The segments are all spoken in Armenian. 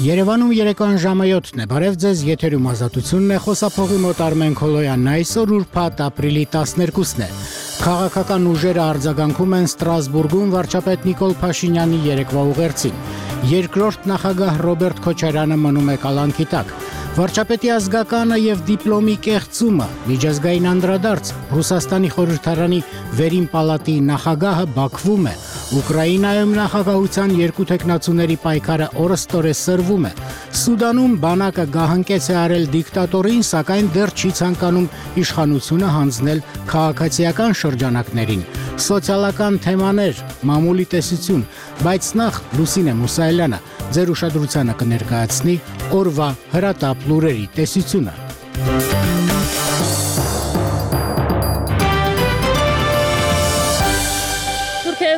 Երևանում երեկոյան ժամը 7-ն է, բարև ձեզ, եթերում ազատությունն է, խոսափողի մոտ Արմեն Քոլոյանն է, այսօր ուրբաթ ապրիլի 12-ն է։ Քաղաքական ուժերը արձագանքում են Ստրասբուրգում վարչապետ Նիկոլ Փաշինյանի երեկվա ուղերձին։ Երկրորդ նախագահ Ռոբերտ Քոչարյանը մնում է կալանքի տակ։ Վարչապետի ազգականը եւ դիպլոմի կեղծումը, միջազգային անդրադարձ, Ռուսաստանի խորհրդարանի վերին պալատի նախագահը Բաքվում է, Ուկրաինայում նախագահության երկու թեկնածուների պայքարը օրըստօրե սրվում է, Սուդանում բանակը գահանքեց է արել դիկտատորին, սակայն դեռ չի ցանկանում իշխանությունը հանձնել քաղաքացիական շրջանակներին, սոցիալական թեմաներ, մամուլի տեսություն, բայց նախ Լուսինե Մուսայելյանը ձեր ուշադրությանը կներկայացնի օրվա հրատապ լուրերի տեսությունը։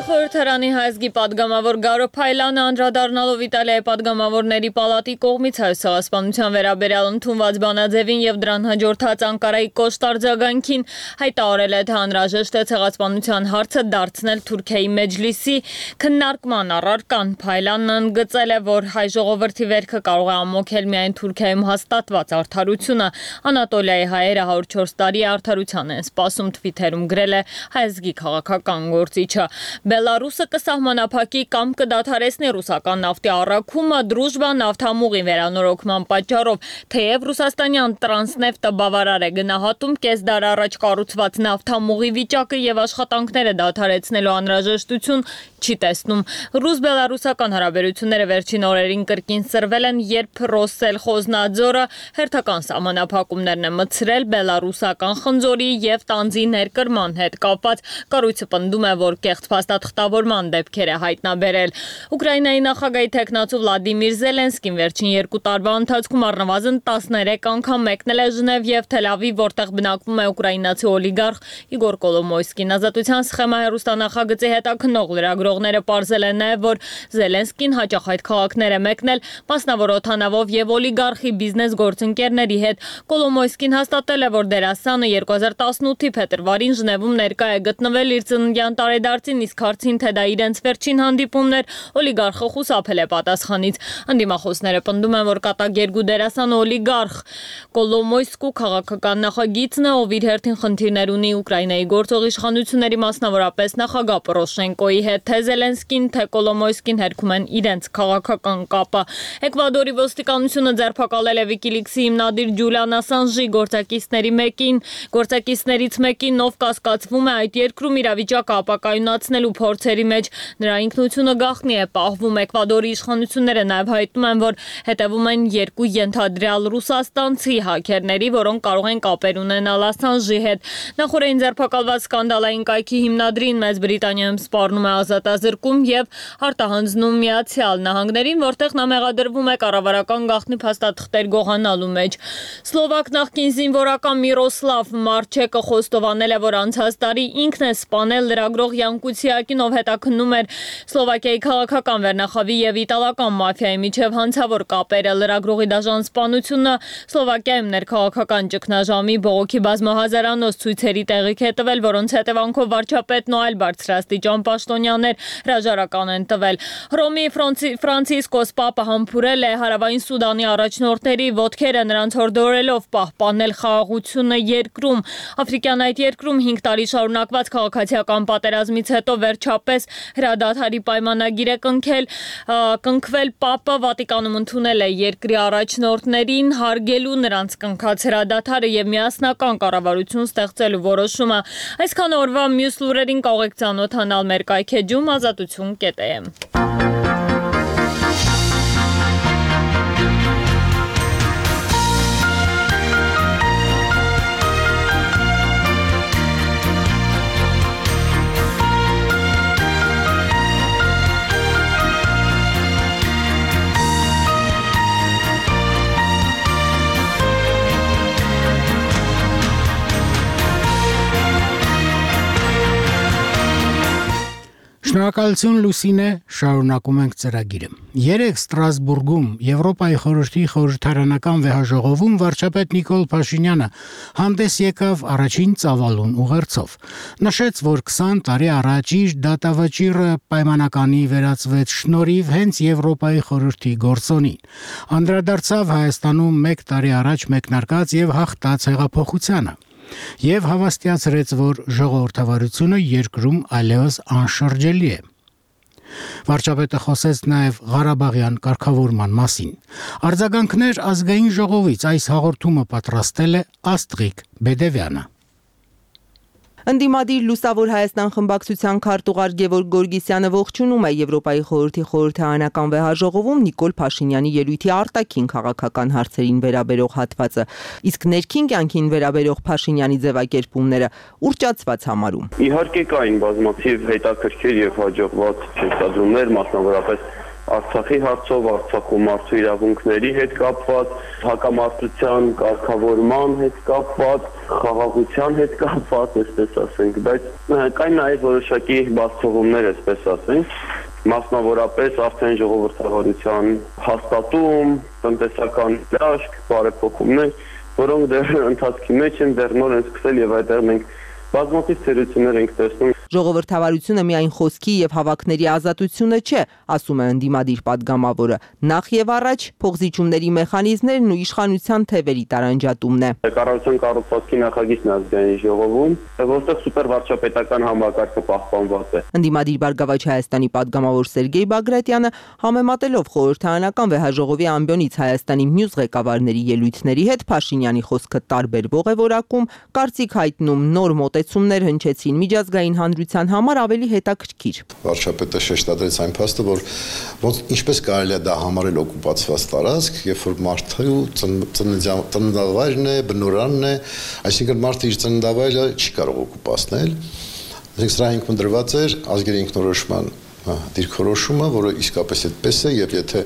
Խորհրդարանի հայազգի պատգամավոր Գարո Փայլյանը անդրադառնալով Իտալիայի պատգամավորների պալատի կողմից հայոց ցեղասպանության վերաբերյալ ընդունված բանաձևին եւ դրան հաջորդած Անկարայի կոշտ արձագանքին հայտարարել է, թե անհրաժեշտ է ցեղասպանության հարցը դարձնել Թուրքիայի մեջլիսի քննարկման առարկան։ Փայլյանն ընդգծել է, որ հայ ժողովրդի վերքը կարող է ամոքել միայն Թուրքիայում հաստատված արդարությունը։ Անատոլիայի հայերը 104 տարի արդարության են սպասում, Թվիթերում գրել է հայազգի քաղաքական գործիչը։ Բելարուսը կսահմանափակի կամ կդադարեցնի ռուսական նավթի առաքումը Դրուժբա նավթամուղի վերանորոգման պատճառով, թեև ռուսաստանյան Տրանսնեֆտը բավարար է գնահատում կես դար առաջ կառուցված նավթամուղի վիճակը եւ աշխատանքները դադարեցնելու անհրաժեշտություն չի տեսնում։ Ռուս-բելարուսական հարաբերությունները վերջին օրերին կրկին սրվել են, երբ Ռոսսելխոզնաձորը հերթական սահմանափակումներն է մտցրել բելարուսական խնձորի եւ տանձի ներկրման հետ կապված։ Կառույցը պնդում է, որ կեղծ փաստաթղթավորման դեպքեր է հայտնաբերել։ Ուկրաինայի նախագահի թեկնածու Վլադիմիր Զելենսկին վերջին 2 տարվա ընթացքում առնվազն 13 անգամ մեկնել է Ժնև եւ Թել Ավիվ, որտեղ բնակվում է ուկրաինացի օլիգարխ Իգոր Կոլոմոյսկին։ Ազատության սխեմա հեռուստանախագծի հետաքննող լրագրողները պարզել են նաեւ, որ Զելենսկին հաճախ այդ քաղաքներ է մեկնել մասնավոր օթանավով եւ օլիգարխի բիզնես գործընկերների հետ։ Կոլոմոյսկին հաստատել է, որ դերասանը 2018-ի փետրվարին Ժնևում ներկա է գտնվել իր ծննդյան տարեդարձին, իսկ հարցին, թե դա իրենց վերջին հանդիպումն էր, օլիգարխը խուսափել է պատասխանից։ Անդիմախոսները պնդում են, որ կատակերգու դերասանը օլիգարխ Կոլոմոյսկու քաղաքական նախագիծն է, ով իր հերթին խնդիրներ ունի Ուկրաինայի գործող իշխանությունների, մասնավորապես նախագահ Պորոշենկոյի հետ, թե Զելենսկին, թե Կոլոմոյսկին հերքում են իրենց քաղաքական կապը։ Էկվադորի ոստիկանությունը ձերբակալել է Վիկիլիքսի հիմնադիր Ջուլիան Ասանժի գործակիցներից մեկին, ով կասկածվում է այդ երկրում իրավիճակը ապակայունացնելու փորձերի մեջ։ Նրա ինքնությունը գաղտնի է պահվում։ Էկվադորի իշխանությունները նաև հայտնում են, որ հետևում են 2 ենթադրյալ ռուսաստանցի հաքերների, որոնք կարող են կապեր ունենալ Ասանժի հետ։ Նախորդին ձերբակալված սկանդալային կայքի հիմնադրին Մեծ Բրիտանիայում սպառնում է ազատազրկում եւ արտահանձնում Միացյալ Նահանգներին, որտեղ նա մեղադրվում է կառավարական գաղտնի փաստաթղթեր գողանալու մեջ։ Սլովակ նախկին զինվորական Միրոսլավ Մարչեկը խոստովանել է, որ անցած տարի ինքն է սպանել լրագրող Յան Կուցիակին, ով հետաքննում էր Սլովակիայի քաղաքական վերնախավի եւ իտալական մաֆիայի միջև հանցավոր կապերը։ Լրագրողի դաժան սպանությունը Սլովակիայում ներքաղաքական ճգնաժամի բողոքի բազմահազարանոց ցույցերի տեղիք է տվել, որոնց հետևանքով վարչապետն ու այլ բարձրաստիճան պաշտոնյաներ հրաժարական են տվել։ Հռոմի Ֆրանցիսկոս Պապը համբուրել է Հարավային Սուդանի առաջնորդների ոտքերը, նրանց հորդորելով պահպանել խաղաղությունը երկրում։ Աֆրիկյան այդ երկրում 5 տարի շարունակված քաղաքացիական պատերազմից հետո վերջապես հրադադարի պայմանագիր է կնքվել։ Պապը Վատիկանում ընդունել է երկրի առաջնորդներին հարգելու նրանց կնքած հրադադարը եւ միասնական կառավարություն ստեղծելու որոշումը։ Այսքան օրվա մյուս լուրերին կարող եք ծանոթանալ մեր կայքեջում ազատություն.am։ Շնորհակալություն Լուսինե, շարունակում ենք ծրագիրը։ Երեկ Ստրասբուրգում Եվրոպայի խորհրդի խորհրդարանական վեհաժողովում վարչապետ Նիկոլ Փաշինյանը հանդես եկավ առաջին ծավալուն ուղերձով։ Նշեց, որ 20 տարի առաջ իր դատավճիռը պայմանականի վերածվեց շնորհիվ հենց Եվրոպայի խորհրդի գործոնին։ Անդրադարձավ Հայաստանում 1 տարի առաջ մեկնարկած եւ հաղթած հեղափոխությանը։ Եվ հավաստիացրեց, որ ժողովրդավարությունը երկրում այլևս անշրջելի է։ Վարչապետը խոսեց նաև Ղարաբաղյան կարգավորման մասին։ Արձագանքներ ազգային ժողովից այս հաղորդումը պատրաստել է Աստղիկ Բեդևյանը։ Ընդդիմադիր Լուսավոր Հայաստան խմբակցության քարտուղար Գևորգ Գորգիսյանը ողջունում է Եվրոպայի խորհրդի խորհրդարանական վեհաժողովում Նիկոլ Փաշինյանի ելույթի արտաքին քաղաքական հարցերին վերաբերող հատվածը, իսկ ներքին կյանքին վերաբերող Փաշինյանի ձևակերպումները ուռճացված համարում։ Իհարկե կային բազմաթիվ հետաքրքիր եւ հաջողված շեշտադրումներ, մասնավորապես Արցախի հարցով, Արցախում մարդու իրավունքների հետ կապված, հակամարտության կարգավորման հետ կապված, խաղաղության հետ կապված, այսպես ասենք, բայց կային նաև որոշակի բացթողումներ, այսպես ասենք, մասնավորապես արդեն ժողովրդավարության հաստատում, տնտեսական լաշք, բարեփոխումներ, որոնք դեռ ընթացքի մեջ են, դեռ նոր են սկսել եւ այդտեղ մենք բազմաթիվ ցերություններ ենք տեսնում։ Ժողովրդավարությունը միայն խոսքի եւ հավաքների ազատությունը չէ, ասում է ընդդիմադիր падգամավորը։ Նախ եւ առաջ փոխզիջումների մեխանիզմներն ու իշխանության թևերի տարանջատումն է։ Կառավարության կառուցվածքի նախագիծն է ազգային ժողովում, որտեղ սուպերվարչապետական համակարգը պահպանված է։ Ընդդիմադիր Բարգավաճ Հայաստանի падգամավոր Սերգեյ Բագրատյանը համեմատելով խորհրդարանական վեհաժողովի ամբիոնից Հայաստանի մյուս ղեկավարների ելույթների հետ Փաշինյանի խոսքը տարբերվող է որակում, կարծիք հայտնում նոր մոտեցումներ հնչեցին միջազգային հանրության համար ավելի հետաքրքիր։ Վարչապետը շեշտադրեց այն փաստը, որ ինչպես կարելի է դա համարել օկուպացված տարածք, երբ որ մարդու ծննդավայրն է, բնորանն է, այսինքն մարդը իր ծննդավայրը չի կարող օկուպացնել։ Սրա հիմքում դրված էր ազգերի ինքնորոշման դիրքորոշումը, որը իսկապես այդպես է, եւ եթե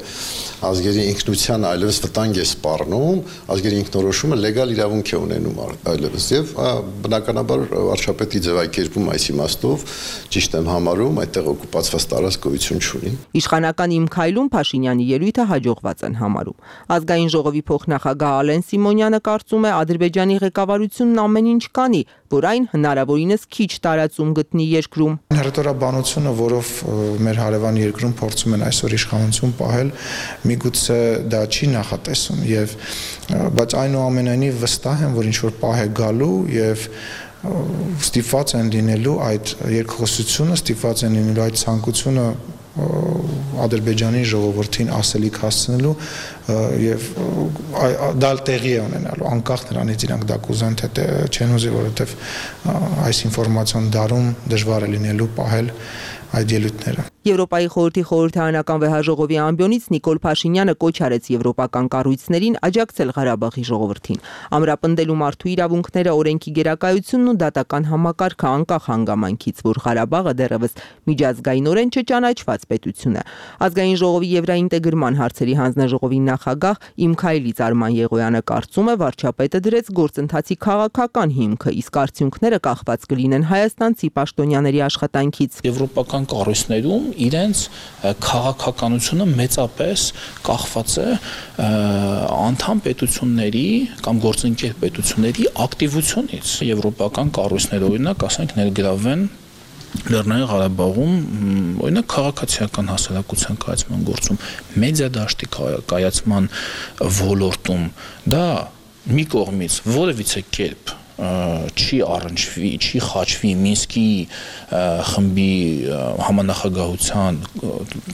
ազգերի ինքնության այլևս վտանգ է սպառնում, ազգերի ինքնորոշումը լեգալ իրավունք է ունենում այլևս եւ բնականաբար վարչապետի ձևակերպում այս իմաստով ճիշտ եմ համարում, այդտեղ օկուպացված տարածք գոյություն չունի։ Իշխանական իմ քայլում Փաշինյանի ելույթը հաջողված են համարում։ Ազգային ժողովի փոխնախագահ Ալեն Սիմոնյանը կարծում է Ադրբեջանի ղեկավարությունն ամեն ինչ կանի, որ այն հնարավորինս քիչ տարածում գտնի երկրում։ Հռետորաբանությունը, որով մեր հարևան երկրում փորձում են այսօր իշխանություն պահել, միգուցե դա չի նախատեսում եւ բայց այնուամենայնիվ վստահ եմ, որ ինչ որ պահ է գալու եւ ստիպված են լինելու այդ երկխոսությունը, ստիպված են լինելու այդ ցանկությունը Ադրբեջանի ժողովրդին ասելիք հասցնելու եւ դա տեղի է ունենալու անկախ նրանից իրանք դա կուզեն թե չեն ուզի, որովհետեւ այս ինֆորմացիոն դարում դժվար է լինելու պահել այդ ելույթները։ Եվրոպայի խորհրդի խորհրդարանական վեհաժողովի ամբիոնից Նիկոլ Փաշինյանը կոչ արեց եվրոպական կառույցներին աջակցել Ղարաբաղի ժողովրդին, ամրապնդելու մարդու իրավունքները, օրենքի գերակայությունն ու դատական համակարգը անկախ հանգամանքից, որ Ղարաբաղը դեռևս միջազգայինորեն չճանաչված պետություն է։ Ազգային ժողովի եվրաինտեգրման հարցերի հանձնաժողովի նախագահ Իմքայլից Արման Եղոյանը կարծում է, վարչապետը դրեց գործընթացի քաղաքական հիմքը, իսկ արդյունքները կախված կլինեն հայաստանցի պաշտոնյաների աշխատանքից։ Եվրոպական կառույցներում իրենց քաղաքականությունը մեծապես կախված է անդամ պետությունների կամ գործընկեր պետությունների ակտիվությունից։ Եվրոպական կառույցները օրինակ, ասենք, ներգրավեն Լեռնային Ղարաբաղում օրինակ քաղաքացիական հասարակության կայացման գործում, մեդիա դաշտի կայացման ոլորտում, դա մի կողմից որևիցե կերպ չի առնչվի, չի խաչվի Մինսկի խմբի համանախագահության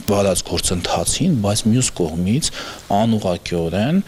վարած գործընթացին, բայց մյուս կողմից անուղղակիորեն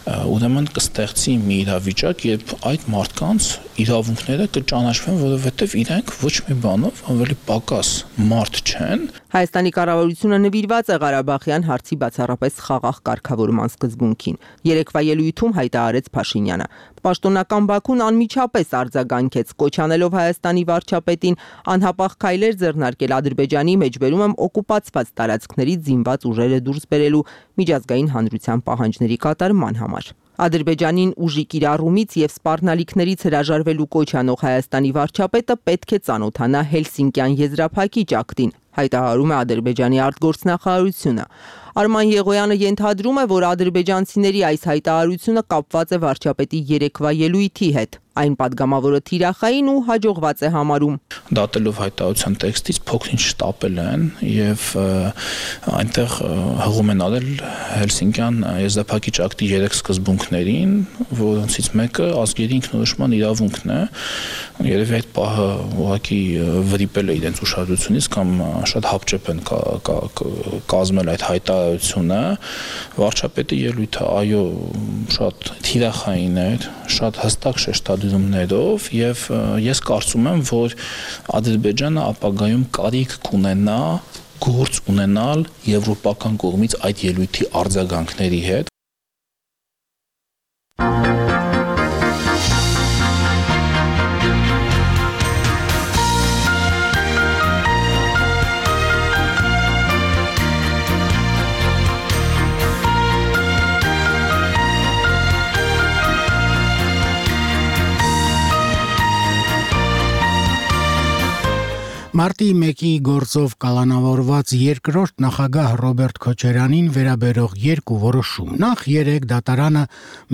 ուրեմն կստեղծի մի իրավիճակ, երբ այդ մարդկանց իրավունքները կճանաչվեն, որովհետև իրենք ոչ մի բանով ավելի պակաս մարդ չեն։ Հայաստանի կառավարությունը նվիրված է Ղարաբաղյան հարցի բացառապես խաղաղ կարգավորման սկզբունքին։ Երեկվա ելույթում հայտարարեց Փաշինյանը։ Պաշտոնական Բաքուն անմիջապես արձագանքեց, կոչ անելով Հայաստանի վարչապետին անհապաղ քայլեր ձեռնարկել Ադրբեջանի մեջբերում օկուպացված տարածքներից զինված ուժերը դուրս բերելու միջազգային հանրության պահանջների կատարման համար։ Ադրբեջանին ուժի կիրառումից եւ սպառնալիքներից հրաժարվելու կոչ անող Հայաստանի վարչապետը պետք է ծանոթանա Հելսինկյան եզրափակիչ ակտին, հայտարարում է Ադրբեջանի արտգործնախարարությունը։ Արման Եղոյանը ենթադրում է, որ ադրբեջանցիների այս հայտարարությունը կապված է վարչապետի երեկվա ելույթի հետ։ Այն падգամավորը թիրախային ու հաջողված է համարում։ Դատելով հայտարարության տեքստից փոքրինչ շտապել են եւ այնտեղ հղում են արել Հելսինկյան եզրափակիչ ակտի 3 սկզբունքներին, որոնցից մեկը ազգերի ինքնորոշման իրավունքն է։ Երևի այդ պահը ուղղակի վրիպել է իրենց ուշադրությունից կամ շատ հապճեպ են կազմել այդ հայտարարությունը։ Վարչապետի ելույթը այո շատ թիրախային էր, շատ հստակ շեշտադրումներով եւ ես կարծում եմ, որ Ադրբեջանը ապագայում կարիք կունենա գործ ունենալ եվրոպական կողմից այդ ելույթի արձագանքների հետ։ Մարտի 1-ի գործով կալանավորված երկրորդ նախագահ Ռոբերտ Քոչարյանին վերաբերող երկու որոշում։ Նախ 3 դատարանը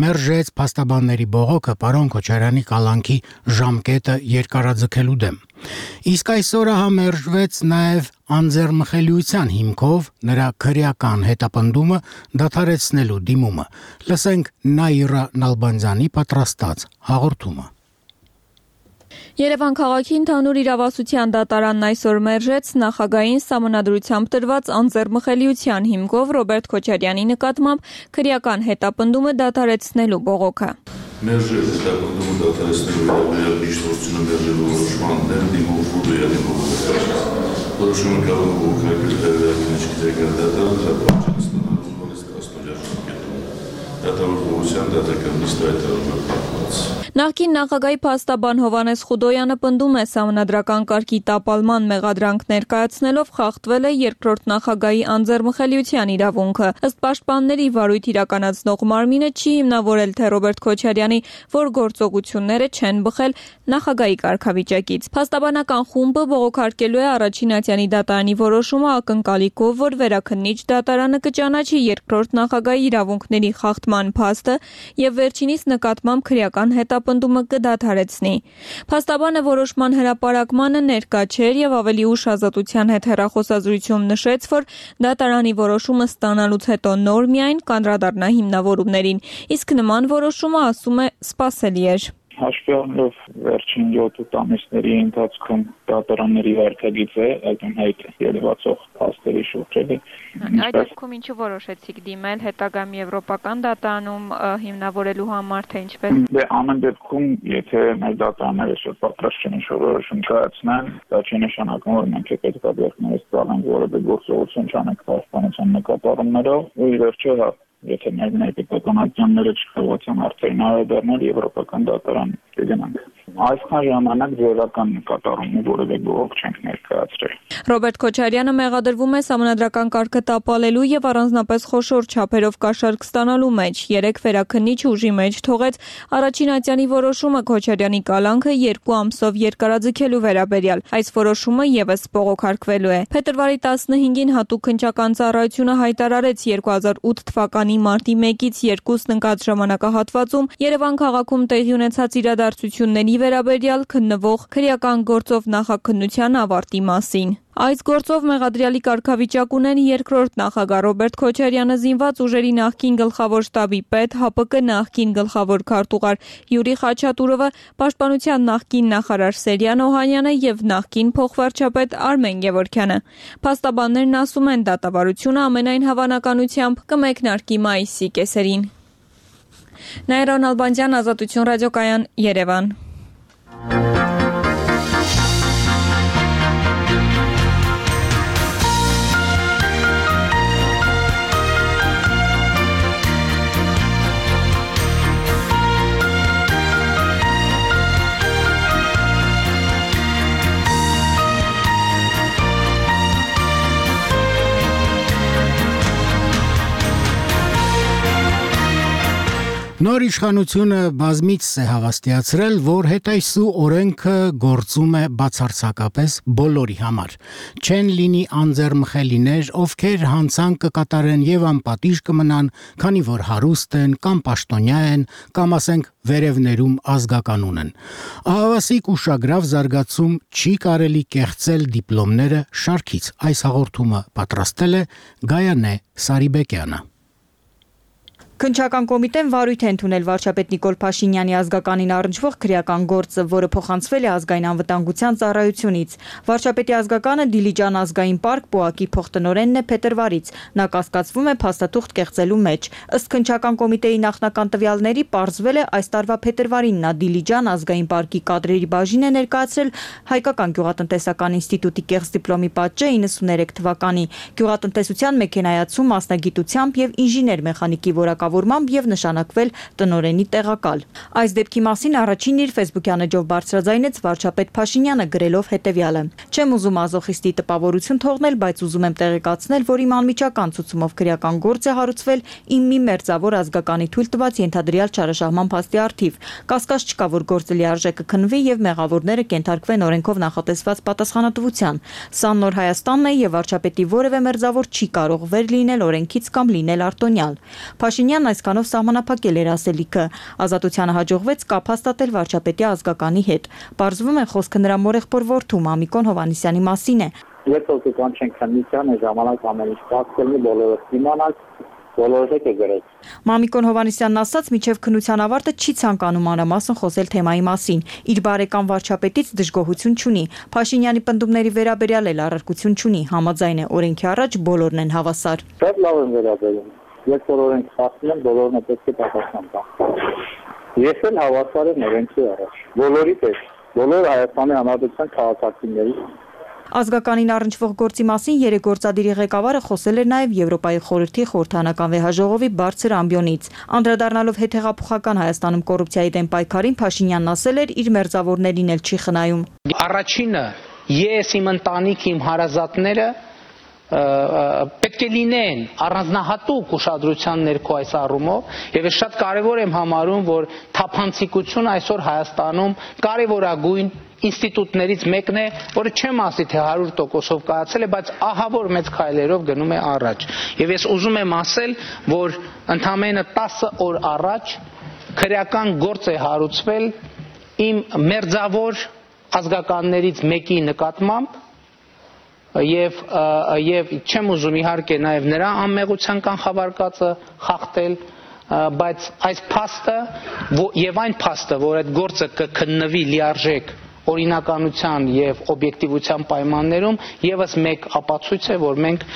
մերժեց փաստաբանների բողոքը պարոն Քոչարյանի կալանքի ժամկետը երկարաձգելու դեմ։ Իսկ այսօր համերժվեց նաև անձեռմխելիության հիմքով նրա քրեական հետապնդումը դադարեցնելու դիմումը։ Լսենք Նաիրա Նալբանդյանի պատրաստած հաղորդումը։ Երևան քաղաքի ընդհանուր իրավասության դատարանն այսօր մերժեց նախագահային սահմանադրությամբ տրված անձեռմխելիության հիմքով Ռոբերտ Քոչարյանի նկատմամբ քրեական հետապնդումը դադարեցնելու բողոքը։ Մերժել հետապնդումը դադարեցնելու վերաբերյալ միջնորդությունը մերժելու որոշման դեմ դիմողը որոշումը կարող է ուղղակի վերականգնել դատարանը Նախկին նախագահի փաստաբան Հովհաննես Խուդոյանը պնդում է սահմանադրական կարգի տապալման մեղադրանք ներկայացնելով խախտվել է երկրորդ նախագահի անձեռմխելիության իրավունքը։ Ըստ պաշտպանների վարույթ իրականացնող մարմինը չի հիմնավորել թե Ռոբերտ Քոչարյանի որ գործողությունները չեն բխել նախագահի կարգավիճակից։ Փաստաբանական խումբը բողոքարկելու է առաջին ատյանի դատարանի որոշումը ակնկալիքով, որ վերաքննիչ դատարանը կճանաչի երկրորդ նախագահի իրավունքների խախտման փաստը եւ վերջինիս նկատմամբ քրեական հետապնդումը կդադարեցնի։ Փաստաբանը որոշման հրապարակմանը ներկա չէր եւ ավելի ուշ Ազատության հետ հեռախոսազրույցում նշեց, որ դատարանի որոշումը ստանալուց հետո նոր միայն կանդրադառնա հիմնավորումներին, իսկ նման որոշումը, ասում է, սպասելի էր։ Հաշվի առնելով վերջին 7 ամիսների ընթացքում դատարանների վարքագիծը ակնհայտ երևացող փաստերի շուրջ էլի։ Այդ դեպքում ինչու որոշեցիք դիմել հետագայում եվրոպական դատարանում հիմնավորելու համար, թե ինչպես։ Դե ամեն դեպքում, եթե մեր դատարանները շատ պատրաստ չեն ինչ-որ որոշում կայացնեն, դա չի նշանակում, որ մենք պետք է դերքներից ծավալենք որևէ գործողություն չանենք պաշտպանության նկատառումներով, ու ի վերջո եթե մեր պետականությունները չկարողացան արդեն անդրադառնալ եվրոպական դատարան կգնանք։ Այսքան ժամանակ ձևական նկատառումի որևէ բողոք չենք ներկայացրել։ Ռոբերտ Քոչարյանը մեղադրվում է սահմանադրական կարգը տապալելու եւ առանձնապես խոշոր չափերով կաշառք ստանալու մեջ։ 3 վերաքննիչ ուժի մեջ թողեց առաջին ատյանի որոշումը Քոչարյանի կալանքը 2 ամսով երկարաձգելու վերաբերյալ։ Այս որոշումը եւս բողոքարկվելու է։ Փետրվարի 15-ին հատուկ քննչական ծառայությունը հայտարարեց 2008 թվականի մարտի 1-ից 2-ն ընկած ժամանակահատվածում Երևան քաղաքում տեղի ունեցած իրադարձությունների վերաբերյալ քննվող քրեական գործով նախաքննության ավարտի մասին։ Այս գործով մեղադրյալի կարգավիճակ ունեն երկրորդ նախագահ Ռոբերտ Քոչարյանը, զինված ուժերի նախկին գլխավոր շտաբի պետ, ՀԱՊԿ նախկին գլխավոր քարտուղար Յուրի Խաչատուրովը, պաշտպանության նախկին նախարար Սերյան Օհանյանը եւ նախկին փոխվարչապետ Արմեն Գևորգյանը։ Փաստաբաններն ասում են, դատավարությունը ամենայն հավանականությամբ կմեկնարկի մայիսի կեսերին։ Նաիրա Նալբանդյան, Ազատություն ռադիոկայան, Երևան։ Նոր իշխանությունը բազմից է հավաստիացրել, որ հետայսու օրենքը գործում է բացարձակապես բոլորի համար։ Չեն լինի անձեռմխելիներ, ովքեր հանցանք կկատարեն եւ անպատիժ կմնան, քանի որ հարուստ են կամ պաշտոնյա են, կամ ասենք վերևներում ազգականուն են։ Ահավասիկ ուշագրավ զարգացում չի կարելի կեղծել դիպլոմները շարքից։ Այս հաղորդումը պատրաստել է Գայանե Սարիբեկյանը։ Քննչական կոմիտեն վարույթ է ընդունել վարչապետ Նիկոլ Փաշինյանի ազգականին առնչվող քրեական գործը, որը փոխանցվել է ազգային անվտանգության ծառայությունից։ Վարչապետի ազգականը Դիլիջան ազգային պարկ ՊՕԱԿ-ի փոխտնօրենն է փետրվարից։ Նա կասկածվում է փաստաթուղթ կեղծելու մեջ։ Ըստ քննչական կոմիտեի նախնական տվյալների պարզվել է այս տարվա փետրվարին նա Դիլիջան ազգային պարկի կադրերի բաժին է ներկայացրել Հայկական գյուղատնտեսական ինստիտուտի կեղծ դիպլոմի պատժը 93 թվականի գյուղատնտեսության մեքենայացում մասնագիտությամբ եւ ինժեներ մեխանիկի որակավորմամբ եւ նշանակվել տնօրենի տեղակալ։ Այս դեպքի մասին առաջին իր Facebook-յան էջով բարձրաձայնեց վարչապետ Փաշինյանը գրելով հետեւյալը. Չեմ ուզում ազոխիստի տպավորություն թողնել, բայց ուզում եմ տեղեկացնել, որ իմ անմիջական ցուցումով քրեական գործ է հարուցվել իմ մի մերձավոր ազգականի թույլ տված ենթադրյալ չարաշահման փաստի առթիվ։ Կասկած չկա, որ գործը լիարժեքը քննվի եւ մեղավորները կենթարկվեն օրենքով նախատեսված պատասխանատվության։ Սա նոր Հայաստանն է եւ վարչապետի որևէ մերձավոր չի կարող վեր լինել օրենքից կամ լինել արտոնյալ։ Փաշինյանն այսքանով սահմանափակել էր ասելիքը։ Ազատությանը հաջողվեց կապ հաստատել վարչապետի ազգականի հետ։ Պարզվում է խոսքը նրա մորեղբոր որդու Մամիկոն Հովհաննիսյանի մասին է։ Երբ որ կանչենք քննության ժամանակ ամեն ինչ պատկերնի բոլորը իմանալ բոլորը կգրեց։ Մամիկոն Հովհաննիսյանն ասաց, միջև քննության ավարտը չի ցանկանում մանրամասն խոսել թեմայի մասին։ Իր բարեկամ վարչապետից դժգոհություն չունի։ Փաշինյանի պնդումների վերաբերյալ էլ առարկություն չունի։ Համաձայն է օրենքի առաջ բոլորն են հավասար։ Շատ լավ են վերաբերում։ Երբ որ օրենք խախտում են, բոլորն է պետք է պատասխան տան։ Ես էլ հավասար եմ օրենքի առաջ։ Բոլորի պես, բոլոր Հայաստանի Հանրապետության քաղաքացիների։ Ազգականին առնչվող գործի մասին երեգործադիրի ղեկավարը խոսել էր նաև Եվրոպայի խորհրդի խորհրդանական վեհաժողովի բարձր ամբիոնից։ Անդրադառնալով հետհեղափոխական Հայաստանում կոռուպցիայի դեմ պայքարին Փաշինյանն ասել էր, իր մերձավորներին էլ չի խնայում։ Առաջինը ես իմ ընտանիք, իմ հարազատները պետք է լինեն առանձնահատուկ ուշադրության ներքո այս առումով եւ ես շատ կարեւոր եմ համարում, որ թափանցիկությունը այսօր Հայաստանում կարևորագույն ինստիտուտներից մեկն է, որը չեմ ասի թե 100%-ով կայացել է, բայց ահավոր մեծ քայլերով գնում է առաջ։ Եվ ես ուզում եմ ասել, որ ընդամենը 10 օր առաջ քրեական գործ է հարուցվել իմ մերձավոր ազգականներից մեկի նկատմամբ եւ չեմ ուզում իհարկե նաեւ նրա անմեղության կանխավարկածը խախտել, բայց այս փաստը եւ այն փաստը, որ այդ գործը կքննվի լիարժեք օրինականության եւ օբյեկտիվության պայմաններում, եւս մեկ ապացույց է, որ մենք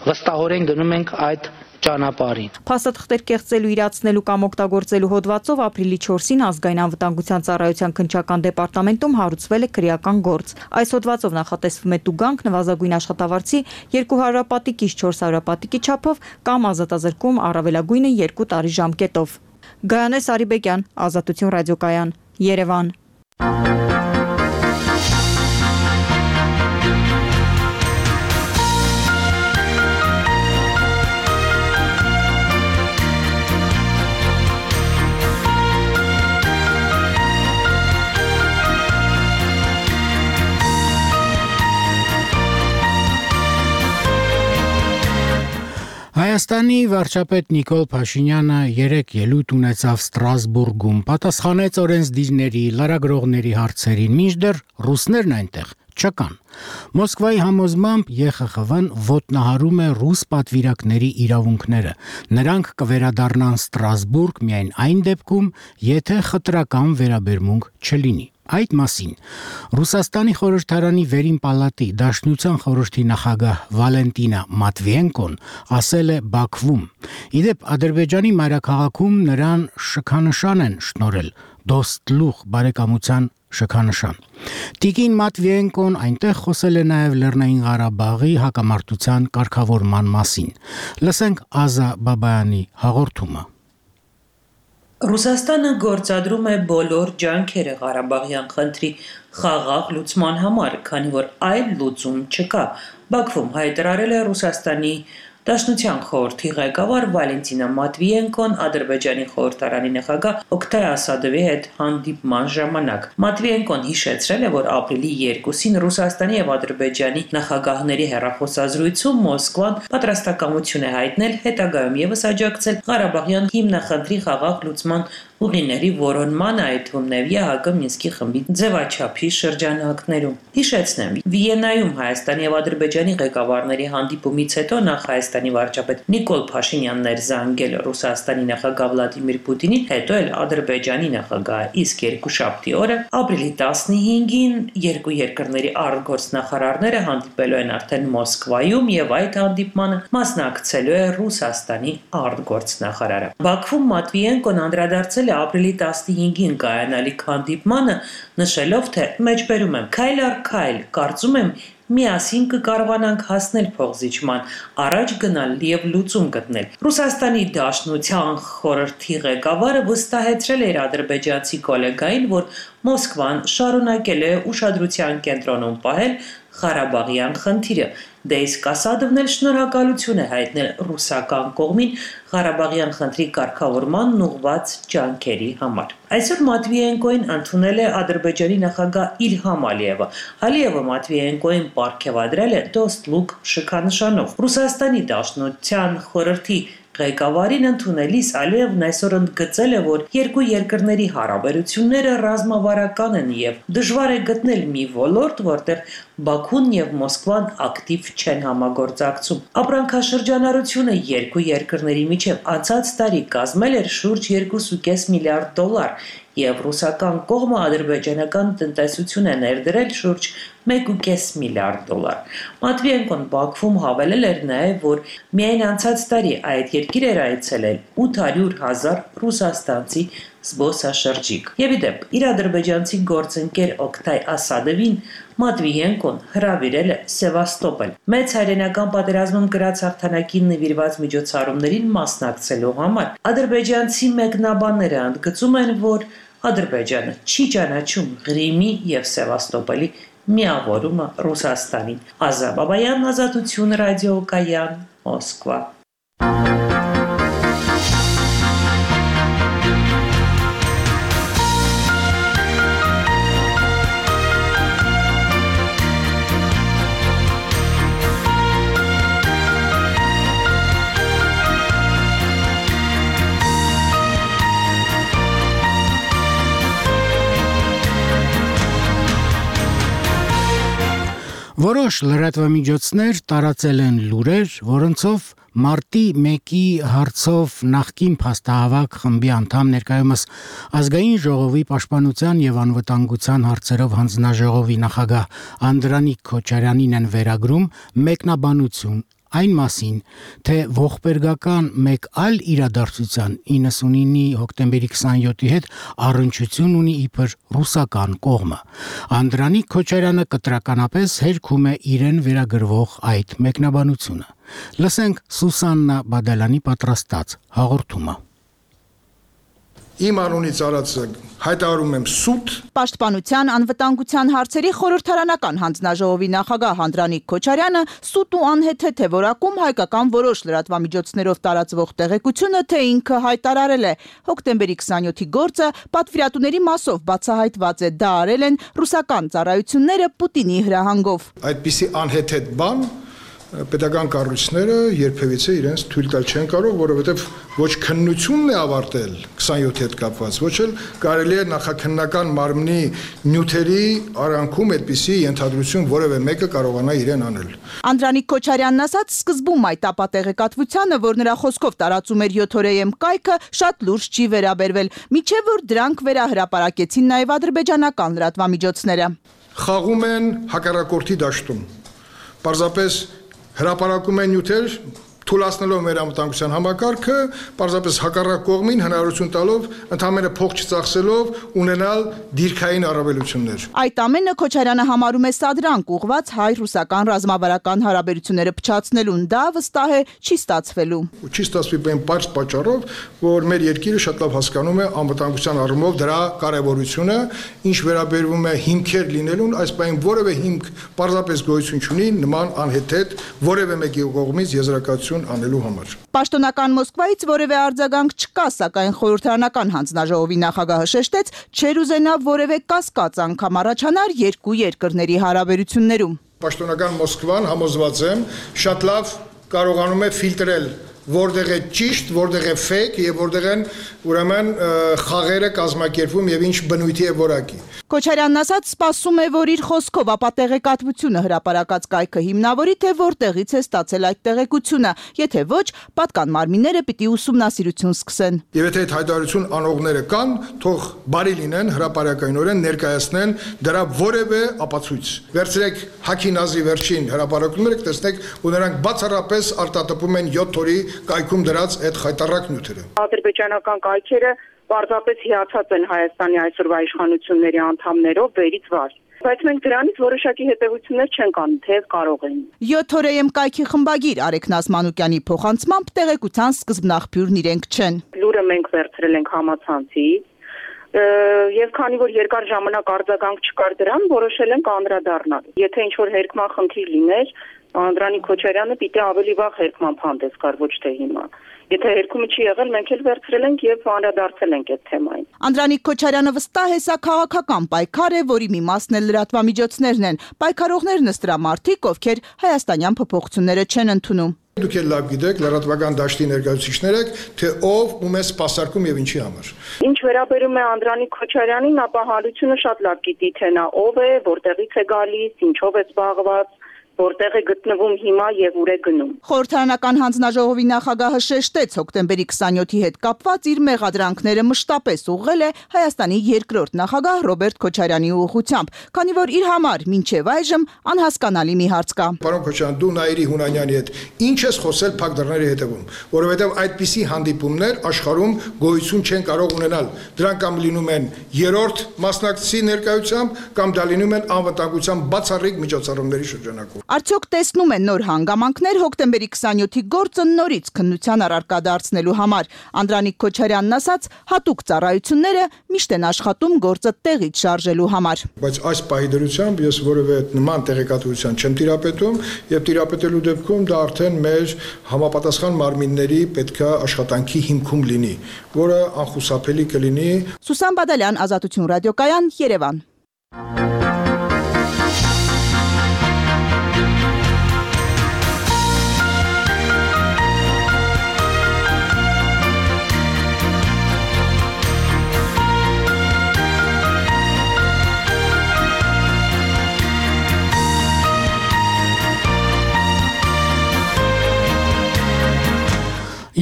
վստահորեն գնում ենք այդ ճանապարհին։ Փաստաթղթեր կեղծելու, իրացնելու կամ օգտագործելու հոդվածով ապրիլի 4-ին ազգային անվտանգության ծառայության քննչական դեպարտամենտում հարուցվել է քրեական գործ։ Այս հոդվածով նախատեսվում է տուգանք նվազագույն աշխատավարձի 200 պատիկից 400 պատիկի չափով կամ ազատազրկում առավելագույնը 2 տարի ժամկետով։ Գայանե Սարիբեկյան, Ազատություն ռադիոկայան, Երևան։ Հայաստանի վարչապետ Նիկոլ Փաշինյանը երեկ ելույթ ունեցավ Ստրասբուրգում, պատասխանեց օրենսդիրների, լրագրողների հարցերին, մինչդեռ ռուսներն այնտեղ չկան։ Մոսկվայի համոզմամբ ԵԽԽՎ-ն ոտնահարում է ռուս պատվիրակների իրավունքները։ Նրանք կվերադառնան Ստրասբուրգ միայն այն դեպքում, եթե խտրական վերաբերմունք չլինի։ Այդ մասին Ռուսաստանի խորհրդարանի վերին պալատի Դաշնության խորհրդի նախագահ Վալենտինա Մատվիենկոն ասել է Բաքվում։ Իդեպ Ադրբեջանի մայրաքաղաքում նրան շքանշան են շնորհել, Դոստլուխ բարեկամության շքանշան։ Տիկին Մատվիենկոն այնտեղ խոսել է նաև Լեռնային Ղարաբաղի հակամարտության կարգավորման մասին։ Լսենք Ազա Բաբայանի հաղորդումը։ Ռուսաստանը գործադրում է բոլոր ջանքերը Ղարաբաղյան խնդրի խաղաղ լուծման համար, քանի որ այլ լուծում չկա։ Բաքվում հայտարարել է Ռուսաստանի Դաշնության խորհրդի ղեկավար Վալենտինա Մատվիենկոն Ադրբեջանի խորհրդարանի նախագահ Օկտայ Ասադովի հետ հանդիպման ժամանակ Մատվիենկոն հիշեցրել է, որ ապրիլի 2-ին Ռուսաստանի եւ Ադրբեջանի նախագահների հեռախոսազրույցում Մոսկվան պատրաստակամություն է հայտնել հետագայում եւս աջակցել Ղարաբաղյան հիմնախնդրի խաղաղ լուծման ուղիների որոնման, այդ թվում նաև ԵԱՀԿ Մինսկի խմբի ձևաչափի շրջանակներում։ Հիշեցնեմ, Վիեննայում Հայաստանի եւ Ադրբեջանի ղեկավարների հանդիպումից հետո նախ Հայաստանի վարչապետ Նիկոլ Փաշինյանն էր զանգել Ռուսաստանի նախագահ Վլադիմիր Պուտինին, հետո էլ Ադրբեջանի նախագահը, իսկ երկուշաբթի օրը ապրիլի 15-ին երկու երկրների արտգործնախարարները հանդիպելու են արդեն Մոսկվայում եւ այդ հանդիպմանը մասնակցելու է Ռուսաստանի արտգործնախարարը։ Բաքվում Մատվիենկոն անդրադարձել է ապրիլի 15-ին կայանալիք հանդիպմանը, նշելով, թե մեջբերում եմ քայլ առ քայլ, կարծում եմ միասին կկարողանանք հասնել փոխզիջման, առաջ գնալ եւ լուծում գտնել։ Ռուսաստանի Դաշնության խորհրդի ղեկավարը վստահեցրել է իր ադրբեջանցի գոլեգային, որ Մոսկվան շարունակել է ուշադրության կենտրոնում պահել Ղարաբաղյան խնդիրը։ Դե իսկ Ասադովն էլ շնորհակալություն է հայտնել ռուսական կողմին Ղարաբաղյան խնդրի կարգավորման ուղղված ջանքերի համար։ Այսօր Մատվիենկոին ընդունել է Ադրբեջանի նախագահ Իլհամ Ալիևը։ Ալիևը Մատվիենկոին պարգևադրել է Դոստ-Լուկ շքանշանով։ Ռուսաստանի Դաշնության խորհրդի ղեկավարին ընդունելիս Ալիևն այսօր ընդգծել է, որ երկու երկրների հարաբերությունները ռազմավարական են եւ դժվար է գտնել մի ոլորտ, որտեղ Բաքուն եւ Մոսկվան ակտիվ չեն համագործակցում։ Ապրանքաշրջանառությունը երկու երկրների միջև անցած տարի կազմել էր շուրջ 2.5 միլիարդ դոլար, եւ ռուսական կողմը ադրբեջանական տնտեսություն է ներդրել շուրջ 1.5 միլիարդ դոլար։ Մատվիենկոն Բաքվում հավելել էր նաեւ, որ միայն անցած տարի այդ երկիր էր այցելել 800,000 ռուսաստանցի զբոսաշրջիկ։ Եվ իդեպ, իր ադրբեջանցի գործընկեր Օկտայ Ասադովին Մատվիենկոն հրավիրել է Սևաստոպոլ։ Մեծ հայրենական պատերազմում գրած հաղթանակին նվիրված միջոցառումներին մասնակցելու համար ադրբեջանցի մեկնաբանները ընդգծում են, որ Ադրբեջանը չի ճանաչում Ղրիմի եւ Սևաստոպոլի միավորումը Ռուսաստանին։ Ազա Բաբայան, Ազատություն ռադիոկայան, Մոսկվա։ Որոշ լրատվամիջոցներ տարածել են լուրեր, որոնցով մարտի 1-ի հարցով նախկին փաստահավաք խմբի անդամ ներկայումս ազգային ժողովի պաշտպանության եւ անվտանգության հարցերով հանձնաժողովի նախագահ Անդրանիկ Քոչարյանին են վերագրում մեկնաբանություն այն մասին, թե ողբերգական մեկ այլ իրադարձության 99-ի հոկտեմբերի 27-ի հետ առնչություն ունի իբր ռուսական կողմը։ Անդրանիկ Քոչարյանը կտրականապես հերքում է իրեն վերագրվող այդ մեկնաբանությունը։ Լսենք Սուսաննա Բադալյանի պատրաստած հաղորդումը։ Իմ անունից արածը հայտարարում եմ սուտ։ Պաշտպանության անվտանգության հարցերի խորհրդարանական հանձնաժողովի նախագահ Անդրանիկ Քոչարյանը սուտ ու անհեթեթ է որակում հայկական որոշ լրատվամիջոցներով տարածվող տեղեկությունը, թե ինքը հայտարարել է հոկտեմբերի 27-ի գործը պատվիրատուների մասով բացահայտված է, դա արել են ռուսական ծառայությունները Պուտինի հրահանգով։ Այդպիսի անհեթեթ բան պետական կառույցները երբևիցե իրենց թույլ տալ չեն կարող, որովհետև ոչ քննությունն է ավարտել 27-ի հետ կապված, ոչ էլ կարելի է նախաքննական մարմնի նյութերի արանքում այդպիսի ենթադրություն որևէ մեկը կարողանա իրեն անել։ Անդրանիկ Քոչարյանն ասաց, սկզբում այդ ապատեղեկատվությանը, որ նրա խոսքով տարածում էր 7-օրեեմ կայքը, շատ լուրջ չի վերաբերվել, մինչև որ դրանք վերահրապարակեցին նաև ադրբեջանական լրատվամիջոցները։ Խաղում են հակառակորդի դաշտում։ Պարզապես հրապարակում են նյութեր, թույլատնելով մեր անվտանգության համակարգը, պարզապես հակառակ կողմին հնարավորություն տալով ընդհանրապես փող չծախսելով ունենալ դիրքային առավելություններ։ Այդ ամենը Քոչարյանը համարում է սադրանք ուղված հայ-ռուսական ռազմավարական հարաբերությունները փչացնելուն, դա վստահ է չի ստացվելու։ Չի ստացվի բան պարզ պատճառով, որ մեր երկիրը շատ լավ հասկանում է անվտանգության առումով դրա կարևորությունը, ինչ վերաբերվում է հիմքեր լինելուն, այս բանին որևէ հիմք պարզապես գոյություն չունի նման անհեթեթ որևէ մեկի կողմից եզրակացություն հայտարարություն անելու համար։ Պաշտոնական Մոսկվայից որևէ արձագանք չկա, սակայն խորհրդարանական հանձնաժողովի նախագահը շեշտեց, չէր ուզենա որևէ կասկած անգամ առաջանար երկու երկրների հարաբերություններում։ Պաշտոնական Մոսկվան, համոզված եմ, շատ լավ կարողանում է ֆիլտրել որտեղ է ճիշտ, որտեղ է ֆեյք եւ որտեղ են ուրեմն խաղերը կազմակերպվում եւ ինչ բնույթի է որակի։ Քոչարյանն ասաց, սպասում է, որ իր խոսքով ապա տեղեկատվությունը հրապարակած կայքը հիմնավորի, թե որտեղից է ստացել այդ տեղեկությունը, եթե ոչ, պատկան մարմինները պիտի ուսումնասիրություն սկսեն։ Եվ եթե այդ հայտարարություն անողները կան, թող բարի լինեն հրապարակայնորեն ներկայացնեն դրա որևէ ապացույց։ Վերցրեք Հակի Նազի վերջին հրապարակումները, կտեսնեք, որ նրանք բացառապես արտատպում են 7 օրի կայքում դրած այդ խայտառակ նյութերը։ Ադրբեջանական կայքերը պարզապես հիացած են Հայաստանի այսօրվա իշխանությունների անդամներով վերից վար։ Բայց մենք դրանից որոշակի հետևություններ չենք անում, թեև կարող են։ 7 օրեեմ կայքի խմբագիր Արեգնաս Մանուկյանի փոխանցմամբ տեղեկության սկզբնաղբյուրն իրենք չեն։ Լուրը մենք վերցրել ենք համացանցից եւ քանի որ երկար ժամանակ արձագանք չկար դրան, որոշել ենք անդրադառնալ։ Եթե ինչ-որ հերկման խնդիր լիներ, Անդրանիկ Քոչարյանը պիտի ավելի վաղ հերկման հանդես գար, ոչ թե հիմա։ Եթե հերկումը չի եղել, մենք էլ վերցրել ենք եւ անդրադարձել ենք այդ թեմային։ Անդրանիկ Քոչարյանը վստահ է, սա քաղաքական պայքար է, որի մի մասն էլ լրատվամիջոցներն են։ Պայքարողներն ըստ դրա մարդիկ, ովքեր հայաստանյան փոփոխությունները չեն ընդունում։ Դուք էլ լավ գիտեք, լրատվական դաշտի ներկայացուցիչներ եք, թե ով ում է սպասարկում եւ ինչի համար։ Ինչ վերաբերում է Անդրանիկ Քոչարյանին, ապա հարությունը շատ լավ գիտի, թե նա ով է, որտեղից է գալիս, ինչով է զբաղված, որտեղ է գտնվում հիմա եւ ուր է գնում։ Խորհրդարանական հանձնաժողովի նախագահը շեշտեց, հոկտեմբերի 27-ի հետ կապված իր մեղադրանքները մշտապես ուղղել է Հայաստանի երկրորդ նախագահ Ռոբերտ Քոչարյանի ուղղությամբ, քանի որ իր համար մինչև այժմ անհասկանալի մի հարց կա։ Պարոն Քոչարյան, դու Նաիրի Հունանյանի հետ ինչ ես խոսել փակ դռների հետևում, որովհետեւ այդպիսի հանդիպումներ աշխարհում գոյություն չեն կարող ունենալ։ Դրանք կամ լինում են երրորդ մասնակցի ներկայությամբ, կամ դա լինում են անվտանգության բացառիկ միջոցառումների շրջանակում։ Արդյոք տեսնում են նոր հանգամանքներ հոկտեմբերի 27-ի գործը նորից քննության առարկա դարձնելու համար։ Անդրանիկ Քոչարյանն ասաց, հատուկ ծառայությունները միշտ են աշխատում գործը տեղից շարժելու համար։ Բայց այս պահի դրությամբ ես որևէ նման տեղեկատվության չեմ տիրապետում եւ տիրապետելու դեպքում դա արդեն մեր համապատասխան մարմինների պետքա աշխատանքի հիմքում լինի, որը անխուսափելի կլինի։ Սուսան Բադալյան, Ազատություն ռադիոկայան, Երևան։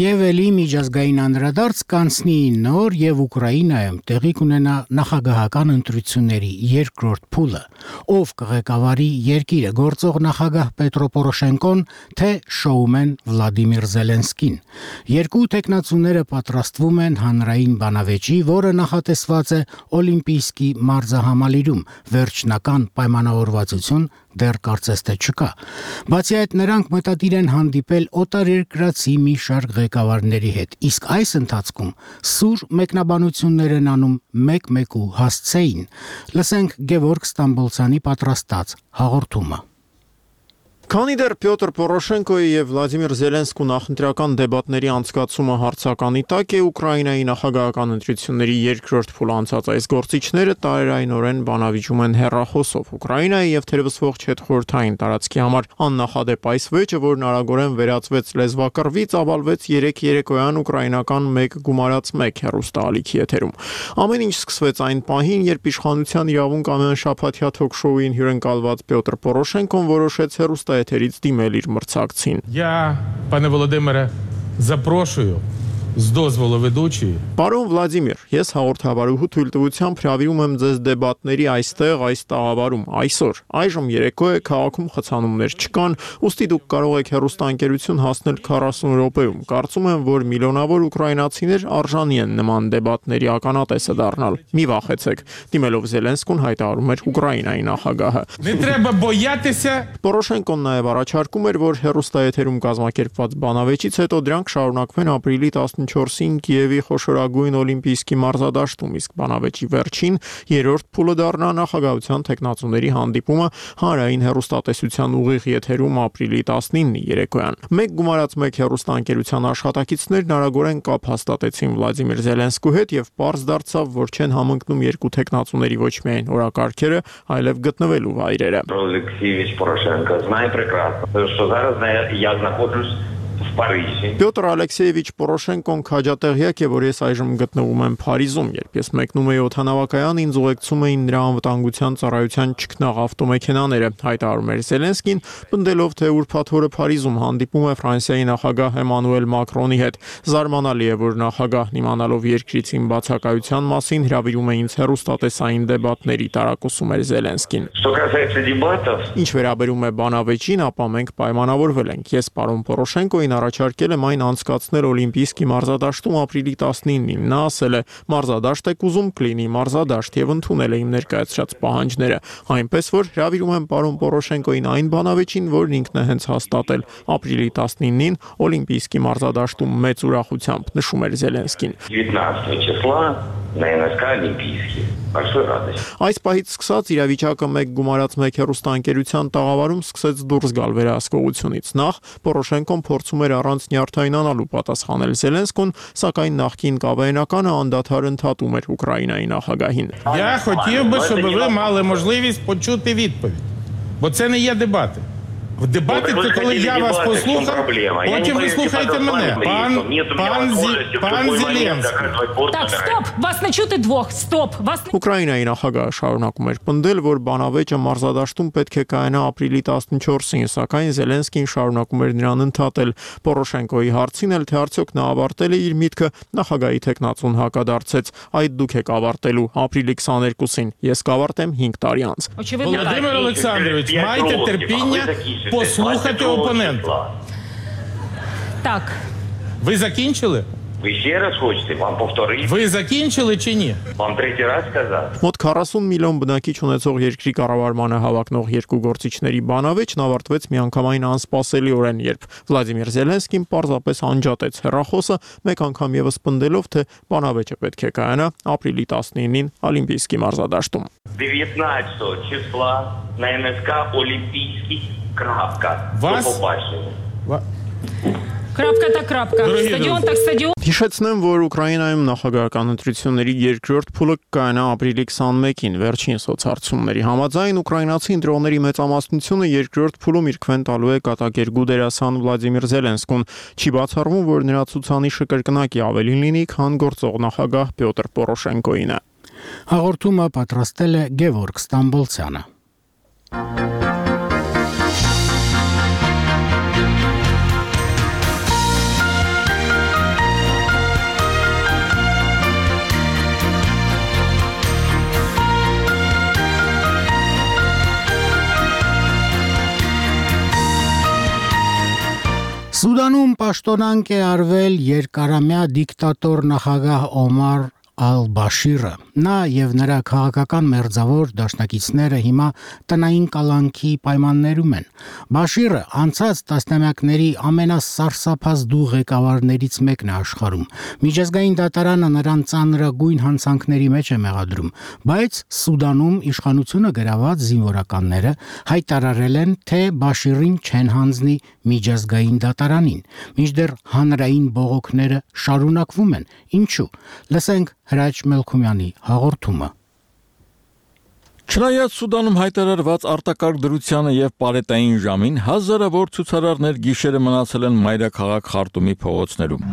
Եվ էլի միջազգային անդրադարձ կանցնի նոր եւ Ուկրաինայում տեղի կունենա նախագահական ընտրությունների երկրորդ փուլը, ով կղեկավարի երկիրը գործող նախագահ Պետրո Պորոշենկոն, թե շոումեն Վլադիմիր Զելենսկին։ Երկու տեխնացուները պատրաստվում են հանրային բանավեճի, որը նախատեսված է Օլիմպիական մարզահամալիրում, վերջնական պայմանավորվածություն դեռ կարծես թե չկա։ Բացի այդ, նրանք մտադիր են հանդիպել օտարերկրացի մի շարք ղեկավարների հետ, իսկ այս ընթացքում սուր մեկնաբանություններ են անում մեկ-մեկու հասցեին։ Լսենք Գևորգ Ստամբոլցյանի պատրաստած հաղորդումը։ Քանի դեռ Պյոտր Պորոշենկոյի եւ Վլադիմիր Զելենսկու նախընտրական դեբատների անցկացումը հարցականի տակ է, Ուկրաինայի նախագահական ընտրությունների երկրորդ փուլ անցած այս գործիչները տարերայնորեն բանավիճում են հեռախոսով։ Ուկրաինայի եւ թերևս ողջ հետխորհրդային տարածքի համար աննախադեպ այս վեճը, որն արագորեն վերածվեց լեզվակռվից, ավալվեց 3 երեկոյան ուկրաինական 1 գումարած 1 հեռուստաալիքի եթերում։ Ամեն ինչ սկսվեց այն պահին, երբ իշխանության իրավունք ամեն շաբաթյա թոք-շոուին հյուրընկալված Պյոտր Պորոշենկոն որոշեց հեռուստաեթերից դիմել իր մրցակցին։ Я, пане Володимире, запрошую з дозволу ведучої. Պարոն Վլադիմիր, ես հաղորդավարուհու թույլտվությամբ հրավիրում եմ ձեզ դեբատների այստեղ այս տաղավարում այսօր։ Այժմ երեկո է, քաղաքում խցանումներ չկան, ուստի դուք կարող եք հեռուստաընկերություն հասնել 40 րոպեում։ Կարծում եմ, որ միլիոնավոր ուկրաինացիներ արժանի են նման դեբատների ականատեսը դառնալ։ Մի վախեցեք, դիմելով Զելենսկուն հայտարարում էր Ուկրաինայի նախագահը։ Не треба боятися. Պորոշենկոն նաև առաջարկում էր, որ հեռուստաեթերում կազմակերպված բանավեճից հետո դրանք շարունակվեն ապրիլի 14-ին Կիևի խոշորագույն օլիմպիական մարզադաշտում, իսկ բանավեճի վերջին երրորդ փուլը դառնա նախագահության տեխնացուների հանդիպումը հանրային հեռուստատեսության ուղիղ եթերում ապրիլի 19-ի երեկոյան։ Մեկ գումարած մեկ հեռուստաընկերության աշխատակիցներն արագորեն կապ հաստատեցին Վլադիմիր Զելենսկու հետ եւ պարզ դարձավ, որ չեն համընկնում երկու տեխնացուների ոչ միայն օրակարգերը, այլև գտնվելու վայրերը։ Алексеевич Порошенко знает прекрасно, что зараз я нахожусь в Париже. Պյոտր Ալեքսեևիչ Պորոշենկոն քաջատեղյակ է, որ ես այժմ գտնվում եմ Փարիզում, երբ ես մեկնում էի օդանավակայան, ինձ ուղեկցում էին նրա անվտանգության ծառայության ճգնաղ ավտոմեքենաները, հայտարարում էր Զելենսկին, պնդելով, թե ուրբաթ օրը Փարիզում հանդիպում է Ֆրանսիայի նախագահ Էմանուել Մակրոնի հետ։ Զարմանալի է, որ նախագահն իմանալով երկրիցին բացակայության մասին հրավիրում է ինձ հեռուստատեսային դեբատների, տարակուսում էր Զելենսկին։ Ինչ վերաբերում է բանավեճին, ապա մենք պայմանավորվել ենք։ Ես պարոն Պորոշենկոին առաջարկել եմ այն անցկացնել օլիմպիական մարզադաշտում ապրիլի 19-ին։ Նա ասել է՝ մարզադաշտ եք ուզում, կլինի մարզադաշտ, եւ ընդունել է իմ ներկայացրած պահանջները։ Այնպես որ հրավիրում եմ պարոն Պորոշենկոին այն բանավեճին, որն ինքն է հենց հաստատել ապրիլի 19-ին օլիմպիական մարզադաշտում մեծ ուրախությամբ, նշում էր Զելենսկին։ 19 числа на НСК Олимпийский. Большой радость. Այս պահից սկսած իրավիճակը մեկ գումարած մեկ հեռուստաընկերության տաղավարում սկսեց դուրս գալ վերահսկողությունից։ Նախ Պորոշենկոն փորձում էր առանց նյարդայնանալու պատասխանել Զելենսկուն, սակայն նախկին կավայնականը անդադար ընդհատում էր Ուկրաինայի նախագահին։ Я хотів би, щоб ви мали можливість почути відповідь, бо це не є дебати. В дебати це коли я вас послухав, потім ви слухаєте мене. Пан Зеленський. Так, стоп, вас не чути двох, стоп, вас не... Ուկրաինայի նախագահը շարունակում էր պնդել, որ բանավեճը մարզադաշտում պետք է կայանա ապրիլի 14-ին, սակայն Զելենսկին շարունակում էր նրան ընդհատել։ Պորոշենկոյի հարցին էլ, թե արդյոք նա ավարտել է իր միտքը, նախագահի տեխնացուն հակադարձեց. այդ դուք եք ավարտելու ապրիլի 22-ին, ես կավարտեմ 5 տարի անց։ Володимир Олександрович, майте терпіння послухати опонента. Так. Ви закінчили? Ви ще раз хочете вам повторити? Ви закінчили чи ні? Вам третій раз сказати? Մոտ 40 միլիոն բնակիչ ունեցող երկրի կառավարմանը հավակնող երկու գործիչների բանավեճն ավարտվեց միանգամայն անսպասելիորեն, երբ Վլադիմիր Զելենսկին պարզապես անջատեց հեռախոսը, մեկ անգամ եւս պնդելով, թե բանավեճը պետք է կայանա ապրիլի 19-ին Օլիմպիական մարզադաշտում։ 19 числа на НСК Олімпійський. Крапка. До побачення. Крапка так крапка. Ստադիոն так ստադիոն։ Հիշեցնեմ, որ Ուկրաինայում նախագահական ընտրությունների երկրորդ փուլը կայանա ապրիլի 21-ին, վերջին սոցհարցումների համաձայն ուկրաինացի ընտրողների մեծամասնությունը երկրորդ փուլում իր քվեն տալու է կատակերգու դերասան Վլադիմիր Զելենսկուն։ Չի բացառվում, որ նրա ցուցանիշը կրկնակի ավելին լինի, քան գործող նախագահ Պյոտր Պորոշենկոյինը։ Հաղորդումը պատրաստել է Գևորգ Ստամբոլցյանը։ Սուդանում պաշտոնանկ է արվել երկարամյա դիկտատոր նախագահ Օմար Ալ-Բաշիրը։ Նա եւ նրա քաղաքական մերձավոր դաշնակիցները հիմա տնային կալանքի պայմաններում են։ Բաշիրը անցած տասնամյակների ամենասարսափազդու ղեկավարներից մեկն է աշխարհում։ Միջազգային դատարանը նրան ծանրագույն հանցանքների մեջ է մեղադրում, բայց Սուդանում իշխանությունը գրաված զինվորականները հայտարարել են, թե Բաշիրին չեն հանձնի միջազգային դատարանին, մինչդեռ հանրային բողոքները շարունակվում են։ Ինչու՞։ Լսենք Հրաչ Մելքումյանի հաղորդումը։ Չնայած Սուդանում հայտարարված արտակարգ դրությանը եւ պարետային ժամին, հազարավոր ցուցարարներ գիշերը մնացել են մայրաքաղաք Խարտումի փողոցներում։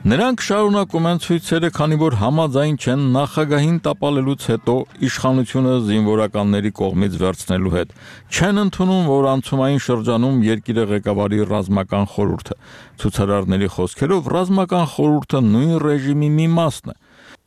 Նրանք շարունակում են ցույցերը, քանի որ համաձայն չեն նախագահին տապալելուց հետո իշխանությունը զինվորականների կողմից վերցնելու հետ։ Չեն ընդունում, որ անցումային շրջանում երկիրը ղեկավարի ռազմական խորհուրդը։ Ցուցարարների խոսքերով ռազմական խորհուրդը նույն ռեժիմի մի մասն է։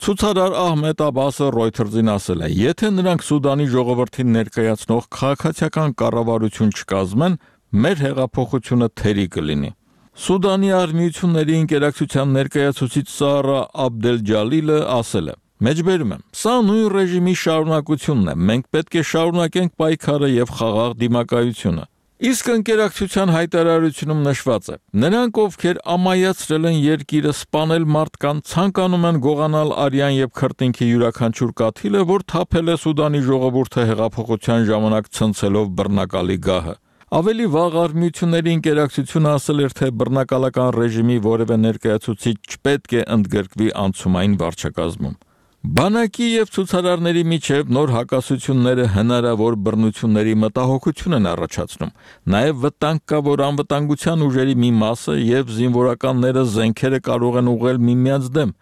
Ցուցարար Ահմեդ Աբասը Reuters-ին ասել է. եթե նրանք Սուդանի ժողովրդին ներկայացնող քաղաքացիական կառավարություն չկազմեն, մեր հեղափոխությունը թերի կլինի։ Սուդանի արմիությունների ինտերակցիան ներկայացուցիչ Սարա Աբդել-Ջալիլը ասել է. Մեջբերում եմ, սա նույն ռեժիմի շարունակությունն է, մենք պետք է շարունակենք պայքարը եւ խաղաղ դիմակայությունը։ Իսկ ընկերակցության հայտարարությունում նշված է. նրանք, ովքեր ամայացրել են երկիրը, սպանել մարդկանց, ցանկանում են գողանալ արյան եւ քրտինքի յուրաքանչյուր կաթիլը, որ թափել է Սուդանի ժողովուրդը հեղափոխության ժամանակ ցնցելով բռնակալի գահը։ Ավելի վաղ արմյությունների ընկերակցությունը ասել էր, թե բռնակալական ռեժիմի որևէ ներկայացուցիչ չպետք է ընդգրկվի անցումային վարչակազմում։ Բանակի եւ ցուցարարների միջև նոր հակասությունները հնարավոր բռնությունների մտահոգություն են առաջացնում։ Նաեւ վտանգ կա, որ անվտանգության ուժերի մի մասը եւ զինվորականները զենքերը կարող են ուղղել միմյանց դեմ։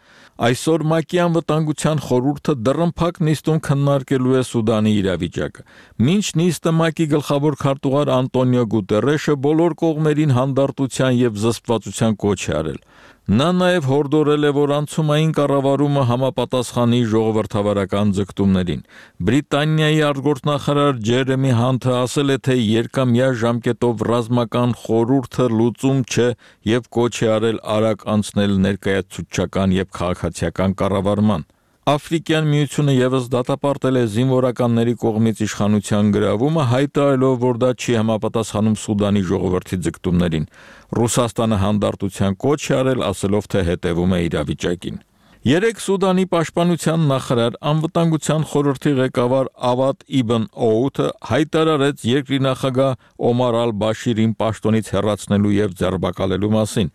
Այսօր ՄԱԿ-ի անվտանգության խորհուրդը դռնփակ նիստում քննարկելու է Սուդանի իրավիճակը։ Մինչ նիստը ՄԱԿ-ի գլխավոր քարտուղար Անտոնիո Գուտերեշը բոլոր կողմերին հանդարտության եւ զսպվածության կոչ է արել։ Նա նաև հորդորել է, որ անցումային կառավարումը համապատասխանի ժողովրդավարական ձգտումներին։ Բրիտանիայի արտգործնախարար Ջերեմի Հանթը ասել է, թե երկամյա ժամկետով ռազմական խորհուրդը լուծում չէ եւ կոչ է արել արագ անցնել ներկայացուցչական եւ քաղաքացիական կառավարման։ Աֆրիկյան միությունը եւս դատապարտել է զինվորականների կողմից իշխանության գրավումը, հայտարարելով, որ դա չի համապատասխանում Սուդանի ժողովրդի ձգտումներին։ Ռուսաստանը հանդարտության կոչ է արել, ասելով, թե հետևում է իրավիճակին։ Երեկ Սուդանի պաշտպանության նախարար անվտանգության խորհրդի ղեկավար Ավադ Իբն Օութը հայտարարեց երկրի նախագահ Օմար Ալ-Բաշիրին պաշտոնից հեռացնելու եւ ձերբակալելու մասին։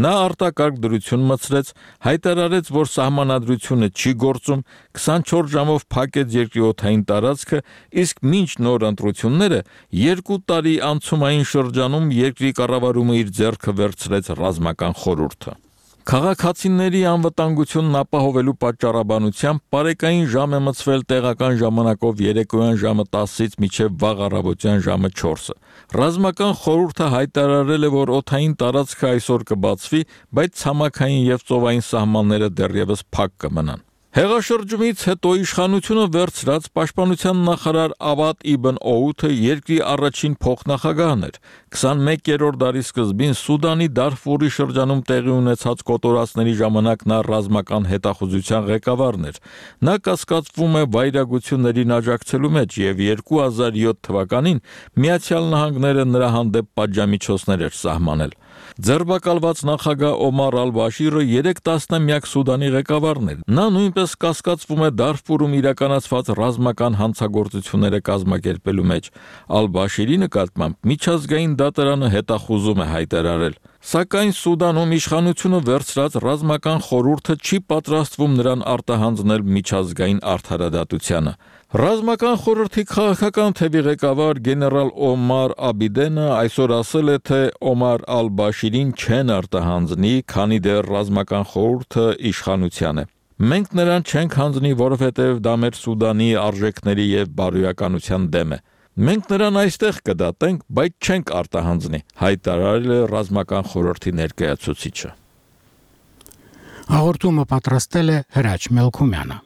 Նա արտակարգ դրություն մտցրեց, հայտարարեց, որ սահմանադրությունը չի գործում, 24 ժամով փակեց երկրի օդային տարածքը, իսկ մինչ նոր ընտրությունները 2 տարի անցումային շրջանում երկրի կառավարումը իր ձեռքը վերցրեց ռազմական խորհուրդը։ Քաղաքացիների անվտանգությունն ապահովելու պատճառաբանությամբ պարեկային ժամ է մտցվել տեղական ժամանակով երեկոյան ժամը 10-ից մինչև վաղ առավոտյան ժամը 4-ը։ Ռազմական խորհուրդը հայտարարել է, որ օդային տարածքը այսօր կբացվի, բայց ցամաքային եւ ծովային սահմանները դեռևս փակ կմնան։ Հեղաշրջումից հետո իշխանությունը վերցրած պաշտպանության նախարար Ավադ Իբն Օութը երկրի առաջին փոխնախագահն էր։ 21-րդ դարի սկզբին Սուդանի Դարֆուրի շրջանում տեղի ունեցած կոտորածների ժամանակ նա ռազմական հետախուզության ղեկավարն էր։ Նա կասկածվում է վայրագություններին աջակցելու մեջ եւ 2007 թվականին Միացյալ Նահանգները նրա հանդեպ պատժամիջոցներ էր սահմանել։ Ձերբակալված նախագահ Օմար Ալ-Բաշիրը 3 տասնամյակ Սուդանի ղեկավարն էր։ Նա նույնպես կասկածվում է Դարֆուրում իրականացված ռազմական հանցագործությունները կազմակերպելու մեջ։ Ալ-Բաշիրի նկատմամբ միջազգային դատարանը հետախուզում է հայտարարել։ Սակայն Սուդանում իշխանությունը վերցրած ռազմական խորհուրդը չի պատրաստվում նրան արտահանձնել միջազգային արդարադատությանը։ Ռազմական խորհրդի քաղաքական թևի ղեկավար գեներալ Օմար Աբիդենը այսօր ասել է, թե Օմար Ալ-Բաշիրին չեն արտահանձնի, քանի դեռ ռազմական խորհուրդը իշխանության է։ Մենք նրան չենք հանձնի, որովհետև դա մեր Սուդանի արժեքների եւ բարոյականության դեմ է։ Մենք նրան այստեղ կդատենք, բայց չենք արտահանձնի, հայտարարել է ռազմական խորհրդի ներկայացուցիչը։ Հաղորդումը պատրաստել է Հրաչ Մելքումյանը։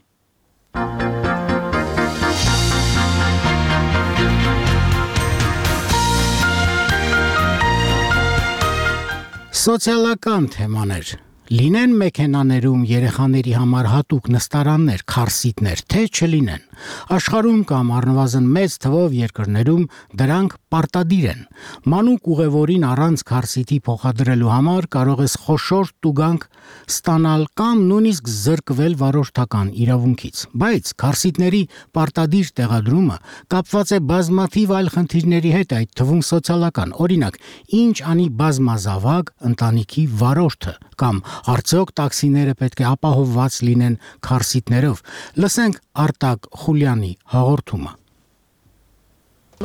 Սոցիալական թեմաներ Լինեն մեքենաներում երեխաների համար հատուկ նստարաններ, քարսիտներ, թե չլինեն։ Աշխարհում կամ առնվազն մեծ թվով երկրներում դրանք պարտադիր են։ Մանուկ ուղևորին առանց քարսիտի փոխադրելու համար կարող ես խոշոր տուգանք ստանալ կամ նույնիսկ զրկվել վարորդական իրավունքից։ Բայց քարսիտների պարտադիր տեղադրումը կապված է բազմաթիվ այլ խնդիրների հետ, այդ թվում սոցիալական։ Օրինակ, ինչ անի բազմազավակ ընտանիքի վարորդը կամ արդյոք տաքսիները պետք է ապահովված լինեն քարսիտներով։ Լսենք Արտակ Խուլյանի հաղորդումը։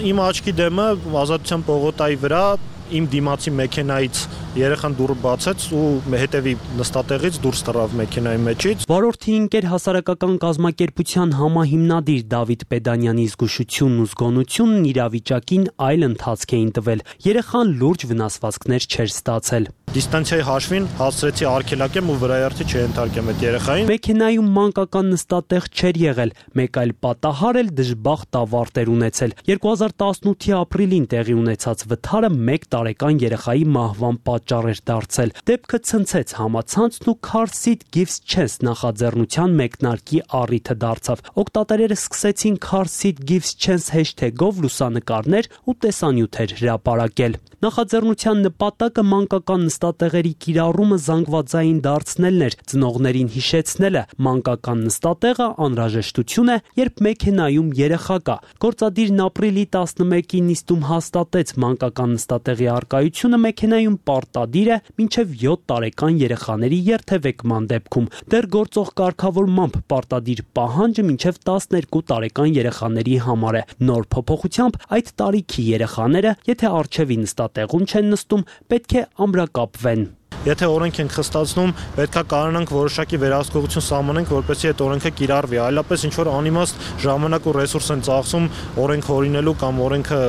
Իմ աչքի դեմը Ազատության պողոտայի վրա իմ դիմացի մեքենայից երեխան դուռը բացեց ու հետևի նստատեղից դուրս թռավ մեքենայի մեջից։ Վարորդի ընկեր հասարակական կազմակերպության համահիմնադիր Դավիթ Պեդանյանի զգուշությունն ու զգոնությունն իրավիճակին այլ ընթացք էին տվել։ Երեխան լուրջ վնասվածքներ չէր ստացել։ Դիստանցիայի հաշվին հասցրեցի արգելակեմ ու վրայերթի չենթարկեմ այդ երեխային։ Մեքենայում մանկական նստատեղ չէր եղել, մեկ այլ պատահար էլ դժբախտ ավարտ էր ունեցել։ 2018-ի ապրիլին տեղի ունեցած վթարը 1 տարեկան երեխայի մահվան պատճառ էր դարձել։ Դեպքը ցնցեց համացանցն ու Car Seat Gives Chance նախաձեռնության մեկնարկի առիթը դարձավ։ Օգտատերերը սկսեցին Car Seat Gives Chance hashtag-ով լուսանկարներ ու տեսանյութեր հրապարակել։ Նախաձեռնության նպատակը մանկական նստատեղերի կիրառումը զանգվածային դարձնելն էր, ծնողներին հիշեցնելը։ Մանկական նստատեղը անհրաժեշտություն է, երբ մեքենայում երեխա կա։ Գործադիրն ապրիլի 11-ի նիստում հաստատեց մանկական նստատեղի առկայությունը մեքենայում պարտադիր է մինչև 7 տարեկան երեխաների երթևեկման դեպքում։ Դեռ գործող կարգավորմամբ պարտադիր պահանջը մինչև 12 տարեկան երեխաների համար է։ Նոր փոփոխությամբ այդ տարիքի երեխաները, եթե առջևի նստատեղում չեն նստում, պետք է ամրակապվեն։ Եթե օրենք ենք խստացնում, պետքա կարողանանք որոշակի վերահսկողություն սահմանենք, որպեսզի այդ օրենքը կիրառվի, այլապես ինչ որ անիմաստ ժամանակ ու ռեսուրս են ծախսում օրենք հորինելու կամ օրենքը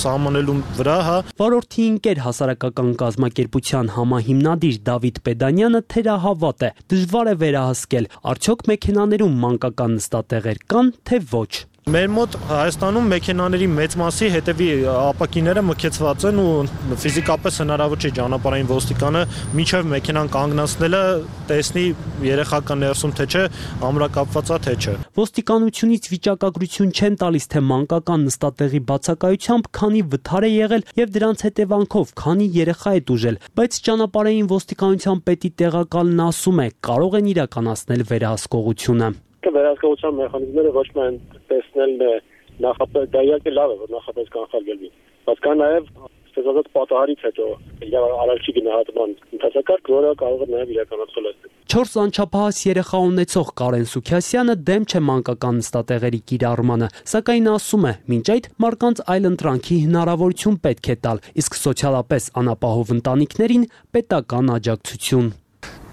սահմանելու վրա, հա։ Վարորդի ընկեր հասարակական կազմակերպության համահիմնադիր Դավիթ Պեդանյանը թերահավատ է։ Դժվար է վերահսկել, արդյոք մեքենաներում մանկական նստատեղեր կան, թե ոչ։ Մեր մոտ Հայաստանում մեքենաների մեծ մասի հետևի ապակիները մքեցված են ու ֆիզիկապես հնարավոր չէ ճանապարհային ոստիկանը մինչև մեքենան կանգնացնելը տեսնի երեխա ներսում թե չէ, ամրակապված է թե չէ։ Ոստիկանությունից վիճակագրություն չեն տալիս, թե մանկական նստատեղի բացակայությամբ քանի վթար է եղել եւ դրանց հետևանքով քանի երեխա է տուժել, բայց ճանապարհային ոստիկանության պետի տեղակալն ասում է, կարող են իրականացնել վերահսկողությունը։ Վերահսկողության մեխանիզմները ոչ միայն տեսնելն է նախապես, դա իհարկե լավ է, որ նախապես կանխարգելվի, բայց կա նաև ստեղծած պատահարից հետո արարչի գնահատման ընթացակարգ, որը կարող է նաև իրականացվել այստեղ։ 4 անչափահաս երեխա ունեցող Կարեն Սուքիասյանը դեմ չէ մանկական նստատեղերի կիրառմանը, սակայն ասում է, մինչ այդ մարդկանց այլընտրանքի հնարավորություն պետք է տալ, իսկ սոցիալապես անապահով ընտանիքներին պետական աջակցություն։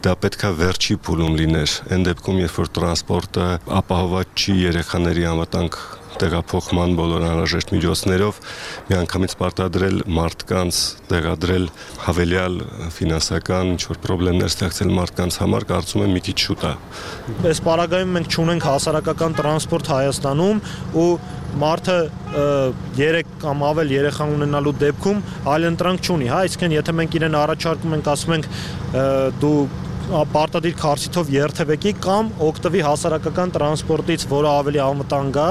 Դա պետքա վերջի փուլում լիներ, այն դեպքում, երբ որ տրանսպորտը ապահովված չի երեխաների անվտանգ տեղափոխման բոլոր անհրաժեշտ միջոցներով, միանգամից պարտադրել մարդկանց տեղադրել հավելյալ ֆինանսական ինչ-որ խնդիրներ ստեղծել մարդկանց համար, կարծում եմ մի քիչ շուտ է։ Այս պարագայում մենք չունենք հասարակական տրանսպորտ Հայաստանում ու մարդը 3 կամ ավել երեխա ունենալու դեպքում այլընտրանք չունի, հա, այսինքն եթե մենք իրեն առաջարկում ենք, ասում ենք դու պարտադիր քարսիթով երթևեկի կամ օգտվի հասարակական տրանսպորտից, որը ավելի անվտանգ է,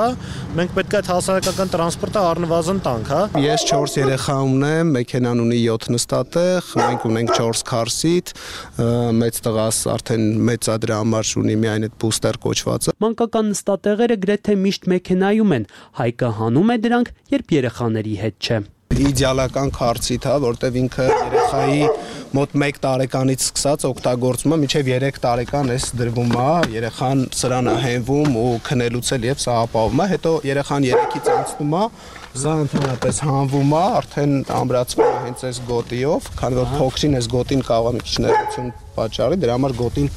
մենք պետք է այդ հասարակական տրանսպորտը առնվազն տանք, հա։ Ես 4 երեխա ունեմ, մեքենան ունի 7 նստատեղ, մենք ունենք 4 քարսիթ, մեծ տղաս արդեն մեծ է դրա համար ունի միայն այդ բուստեր կոչվածը։ Մանկական նստատեղերը գրեթե միշտ մեքենայում են, Հայկը հանում է դրանք, երբ երեխաների հետ չէ։ Իդեալական քարսիթ է, որտեվ ինքը երեխայի մոտ 1 տարեկանից սկսած օգտագործումը մինչև 3 տարեկան էս դրվում է, երեխան սրան է հենվում ու քնելուց էլ եւ սա ապահովում է, հետո երեխան 3-ից անցնում է, սա ընդհանրապես հանվում է, արդեն ամրացվում է հենց այս գոտիով, քանի որ փոքրին այս գոտին կարող է մի քիչ ներություն պատճառի, դրա համար գոտին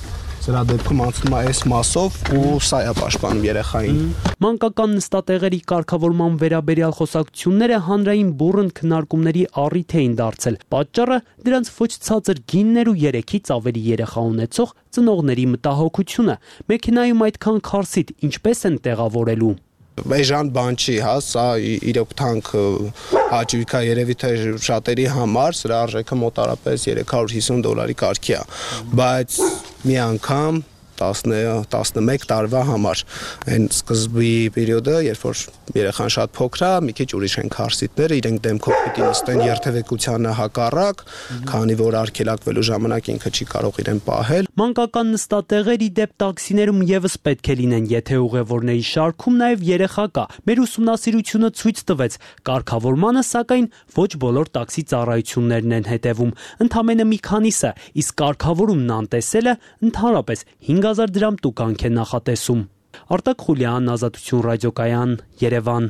Սրա դեպքում անցնում է այս մասով ու սա է պաշտպանում երեխային։ Մանկական նստատեղերի կարգավորման վերաբերյալ խոսակցությունները հանրային բուռն քննարկումների առիթ էին դարձել։ Պատճառը դրանց ոչ ցածր գիններ ու 3-ից ավելի երեխա ունեցող ծնողների մտահոգությունը։ Մեքենայում այդքան քարսիթ ինչպես են տեղավորելու։ Այժմ բան չի, հա, սա իրոք թանկ հաճույք է երևի թե շատերի համար, սրա արժեքը մոտարապես $350 կարգի է, բայց մի անգամ 10-11 տարվա համար այն սկզբի պերիոդը, երբ որ երեխան շատ փոքր է, մի քիչ ուրիշ են քարսիտները, իրենք դեմքով պիտի նստեն երթևեկությանը հակառակ, քանի որ արգելակվելու ժամանակ ինքը չի կարող իրեն պահել։ Մանկական նստատեղերի դեպ տաքսիներում եւս պետք է լինեն, եթե ուղևորների շարքում նաեւ երեխա կա։ Մեր ուսումնասիրությունը ցույց տվեց, կարգավորմանը սակայն ոչ բոլոր տաքսի ծառայություններն են հետևում, ընդամենը մի քանիսը, իսկ կարգավորումն անտեսելը ընդհանրապես 5000 դրամ տուգանք է նախատեսում։ Արտակ Խուլյան, Ազատություն ռադիոկայան, Երևան։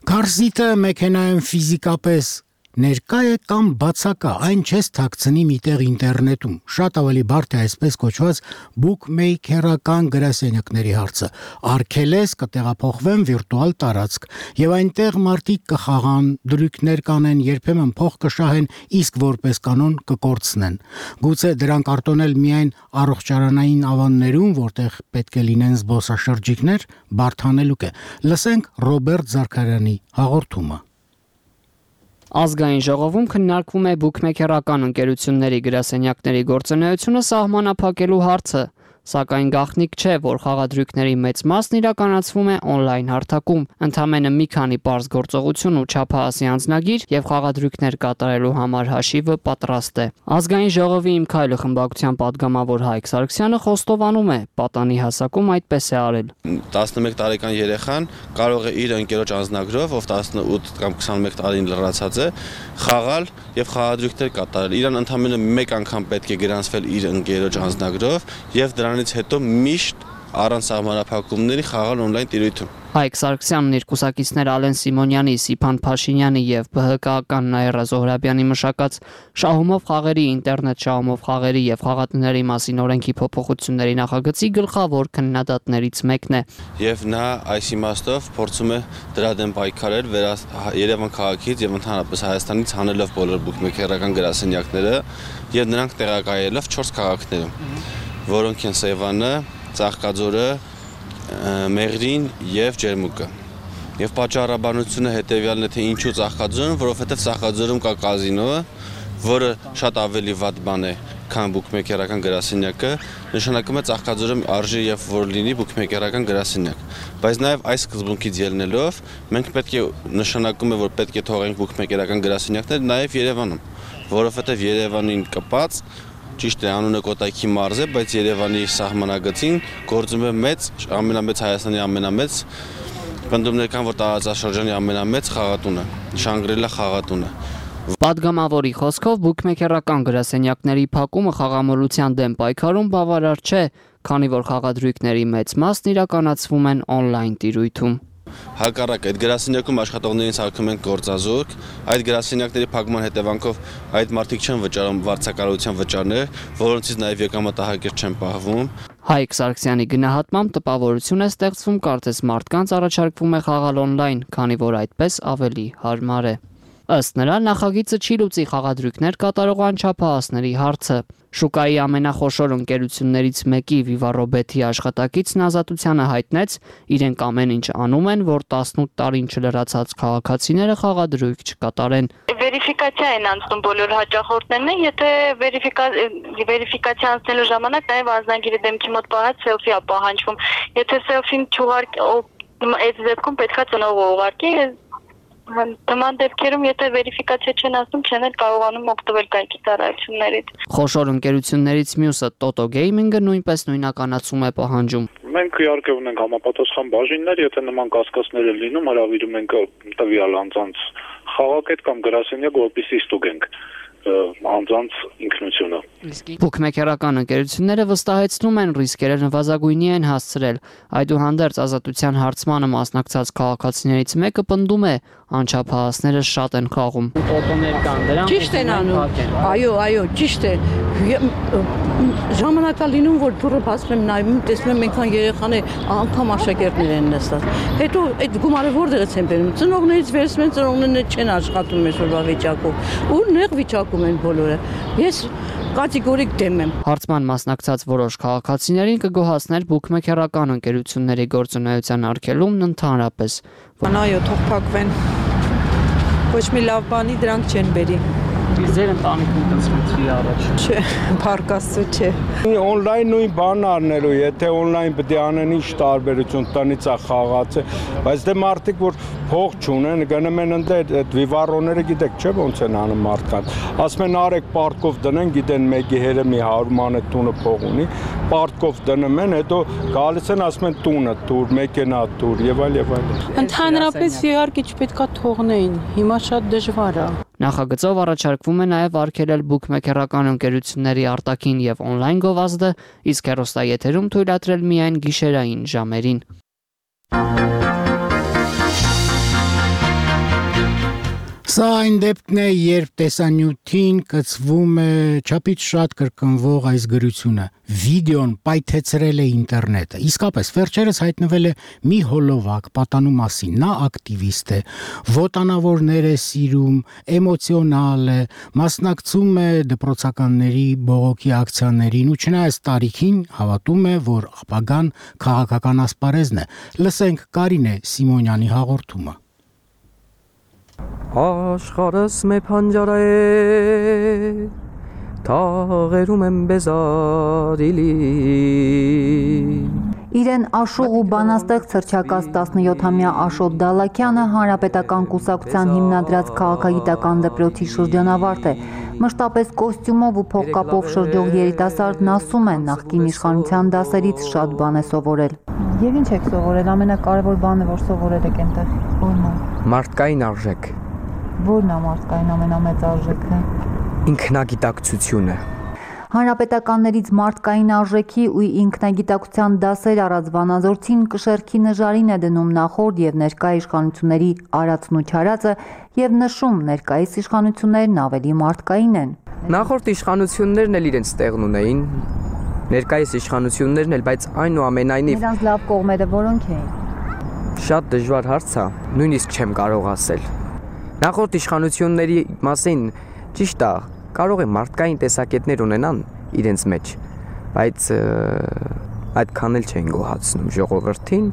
Քարսիտը մեքենայում ֆիզիկապես Ներկա է կամ բացակա, այն չես թաքցնի միտեղ ինտերնետում։ Շատ ավելի բարդ է այսպես կոչված bookmaker-ական գրասենյակների հարցը։ Արգելես կտեղափոխվեն վիրտուալ տարածք, եւ այնտեղ մարդիկ կխաղան, դրույքներ կանեն, երբեմն փող կշահեն, իսկ որպես կանոն կկորցնեն։ Գուցե դրանք արտոնել միայն առողջարանային ավաններում, որտեղ պետք է լինեն զբոսաշրջիկներ, բարդ հանելուկ է։ Լսենք Ռոբերտ Զարքարյանի հաղորդումը։ Ազգային ժողովում քննարկվում է բուքմեքերական ընկերությունների գրասենյակների գործունեությունը սահմանափակելու հարցը, սակայն գաղտնիք չէ, որ խաղադրույքների մեծ մասն իրականացվում է օնլայն հարթակում, ընդամենը մի քանի պարզ գործողություն ու չափահասի անձնագիր եւ խաղադրույքներ կատարելու համար հաշիվը պատրաստ է։ Ազգային ժողովի Իմ քայլը խմբակցության падգամավոր Հայկ Սարգսյանը խոստովանում է, պատանի հասակում այդպես է արել։ 11 տարեկան երեխան կարող է իր ընկերոջ անձնագրով, ով 18 կամ 21 տարին լրացած է, խաղալ եւ խաղադրույքներ կատարել։ Իրան ընդամենը մեկ անգամ պետք է գրանցվել իր ընկերոջ անձնագրով եւ դրանից հետո միշտ առանց սահմանափակումների խաղալ օնլայն տիրույթում։ Հայկ Սարգսյանն իր կուսակիցներ Ալեն Սիմոնյանի, Սիփան Փաշինյանի եւ ԲՀԿ-ական Նաիրա Զոհրաբյանի մշակած շահումով խաղերի, ինտերնետ շահումով խաղերի եւ խաղատների մասին օրենքի փոփոխությունների նախագծի գլխավոր քննադատներից մեկն է։ Եվ նա այս իմաստով փորձում է դրա դեմ պայքարել Երևան քաղաքից եւ ընդհանրապես Հայաստանից հանելով բոլոր բուքմեքերական գրասենյակները եւ նրանք տեղակայելով 4 քաղաքներում, որոնք են Սևանը, Ծաղկաձորը, Մեղրին եւ Ջերմուկը։ Եվ պատճառաբանությունը հետեւյալն է, թե ինչու Ծաղկաձորում, որովհետեւ Ծաղկաձորում կա կազինոը, որը շատ ավելի վատ բան է, քան բուքմեքերական գրասենյակը, նշանակում է Ծաղկաձորում արժի եւ որ լինի բուքմեքերական գրասենյակ։ Բայց նաեւ այս սկզբունքից ելնելով մենք պետք է նշանակում է, որ պետք է թողենք բուքմեքերական գրասենյակներ նաեւ Երևանում, որովհետեւ Երևանին կպած ճիշտ է անունը Կոտայքի մարզ է, բայց Երևանի սահմանագծին գործում է ամենամեծ Հայաստանի ամենամեծ պնդումներ կան, որ տարածաշրջանի ամենամեծ խաղատունը, Շանգրիլա խաղատունը։ Պատգամավորի խոսքով բուքմեքերական գրասենյակների փակումը խաղամոլության դեմ պայքարում բավարար չէ, քանի որ խաղադրույքների մեծ մասն իրականացվում են օնլայն տիրույթում։ Հակառակ այդ գրասենյակում աշխատողներին սարքում են գործազուրկ, այդ գրասենյակների փակման հետևանքով այդ մարդիկ չեն վճարում վարձակալության վճարներ, որոնցից նաև եկամտահարկեր չեն պահվում։ Հայկ Սարգսյանի գնահատմամբ տպավորություն է ստեղծվում, կարծես մարդկանց առաջարկվում է խաղալ օնլայն, քանի որ այդպես ավելի հարմար է։ Ըստ նրա, նախագիծը չի լուծի խաղադրույքներ կատարող անչափահասների հարցը։ Շուկայի ամենախոշոր ընկերություններից մեկի Vivarobet-ի աշխատակիցն Ազատությանը հայտնեց, իրենք ամեն ինչ անում են, որ 18 տարին չլրացած քաղաքացիները խաղադրույք չկատարեն։ Վերիֆիկացիա են անցնում բոլոր հաճախորդներն, եթե վերիֆիկացիա անցնելու ժամանակ նաև անձնագիրը դեմքի մոտ պահած սելֆի է պահանջվում։ Եթե սելֆին չուղարկի, այդ դեպքում պետքա ծնողը ուղարկի։ Նման դեպքերում, եթե վերիֆիկացիա չեն ասում, չեն էլ կարողանում օգտվել կայքի ծառայություններից։ Խոշոր ընկերություններից մյուսը Toto Gaming-ը նույնպես նույնականացում է պահանջում։ Մենք իհարկե ունենք համապատասխան բաժիններ, եթե նման կասկածներ են լինում, հրավիրում ենք տվյալ անձանց խաղակետ կամ գրասենյակ, որպեսզի ստուգենք անձանց ինքնությունը։ Բուքմեքերական ընկերությունները վստահեցնում են ռիսկերը նվազագույնի են հասցրել։ Այդուհանդերձ Ազատության հարցմանը մասնակցած քաղաքացիներից մեկը պնդում է, անչափահասները շատ են խաղում։ Օտոներ կան դրանք։ Ճիշտ են անում։ Այո, ճիշտ է։ Ժամանակա լինում, որ դուրը բացում եմ նայում, տեսնում եմ այնքան երեխան է, անգամ աշակերտներ են նստած։ Հետո այդ գումարը որտեղից են բերում։ Ծնողներից վերցնում են, ծնողներն չեն աշխատում այսօրվա վիճակով։ Ու նեղ վիճակում են բոլորը։ Ես կատեգորիկ դեմ եմ։ Հարցման մասնակցած որոշ քաղաքացիներին կգոհացներ բուքմեքերական ընկերությունների գործունեության արգելումն ընդհանրապես։ Այո, թող փակվեն։ Ոչ մի լավ բանի դրանք չեն բերի։ Ձեր ընտանիքում կցվի առաջ։ Չէ, փարկաստու չէ։ Օնլայն նույն բանն առնելու, եթե օնլայն պետք է անեն ինչ տարբերություն տնից է խաղացը, բայց դե մարդիկ որ փող չունեն, գնում են ընդ այդ վիվարոները գիտեք չէ ոնց են անում մարդկանց։ Ասում են արեք պարտկով դնեն, գիտեն մեկի հերը մի 100 մանեթ տունը փող ունի, պարտկով դնում են, հետո գալիս են ասում են տունը տուր, մեքենա տուր եւ այլ եւ այլ։ Ընդհանրապես իհարկե չպետքա թողնեին, հիմա շատ դժվար է։ Նախագծով առաջարկվում է նաև արգելել բուքմեքերական ընկերությունների արտաքին եւ օնլայն գովազդը, իսկ հեռուստաեթերում թույլատրել միայն գիշերային ժամերին։ Սա այն դեպքն է, երբ տեսանյութին կցվում է չափից շատ կրկնվող այս գրությունը. վիդեոն պայթեցրել է ինտերնետը։ Իսկապես, վերջերս հայտնվել է մի հոլովակ պատանու մասին։ Նա ակտիվիստ է, ոտանավորներ է սիրում, էմոցիոնալ է, մասնակցում է դպրոցականների բողոքի ակցիաներին ու չնայած տարիքին հավատում է, որ ապագան քաղաքական ասպարեզն է։ Լսենք Կարինե Սիմոնյանի հաղորդումը։ Աշխարհս մե փանջարա է թաղերում եմ բեզարիլի Իրեն Աշուղ ու բանաստեղծ հռչակած 17-ամյա Աշոտ Դալաքյանը Հանրապետական կուսակցության հիմնադրած քաղաքագիտական դպրոցի շրջանավարտ է։ Մշտապես կոստյումով ու փողկապով շրջող երիտասարդն ասում է, նախկին իշխանության դասերից շատ բան է սովորել։ Եվ ինչ եք սովորել, ամենակարևոր բանը, որ սովորել եք այնտեղ, ո՞րն է։ Մարդկային արժեք։ Ո՞րն է մարդկային ամենամեծ արժեքը։ Ինքնագիտակցությունը։ Հանրապետականներից մարդկային արժեքի ու ինքնագիտակցության դասեր առած Վանաձորցին կշեռքի նժարին է դնում նախորդ եւ ներկա իշխանությունների արածն ու չարածը եւ նշում ներկայիս իշխանություններն ավելի մարդկային են։ Նախորդ իշխանություններն էլ իրենց տեղն ունեին, ներկայիս իշխանություններն էլ, բայց այնուամենայնիվ նրանց լավ կողմերը որոնք էին։ Շատ դժվար հարց է, նույնիսկ չեմ կարող ասել։ Նախորդ իշխանությունների մասին ճիշտ է, կարող է մարդկային տեսակետներ ունենան իրենց մեջ, բայց այդքան էլ չեն գոհացնում ժողովրդին։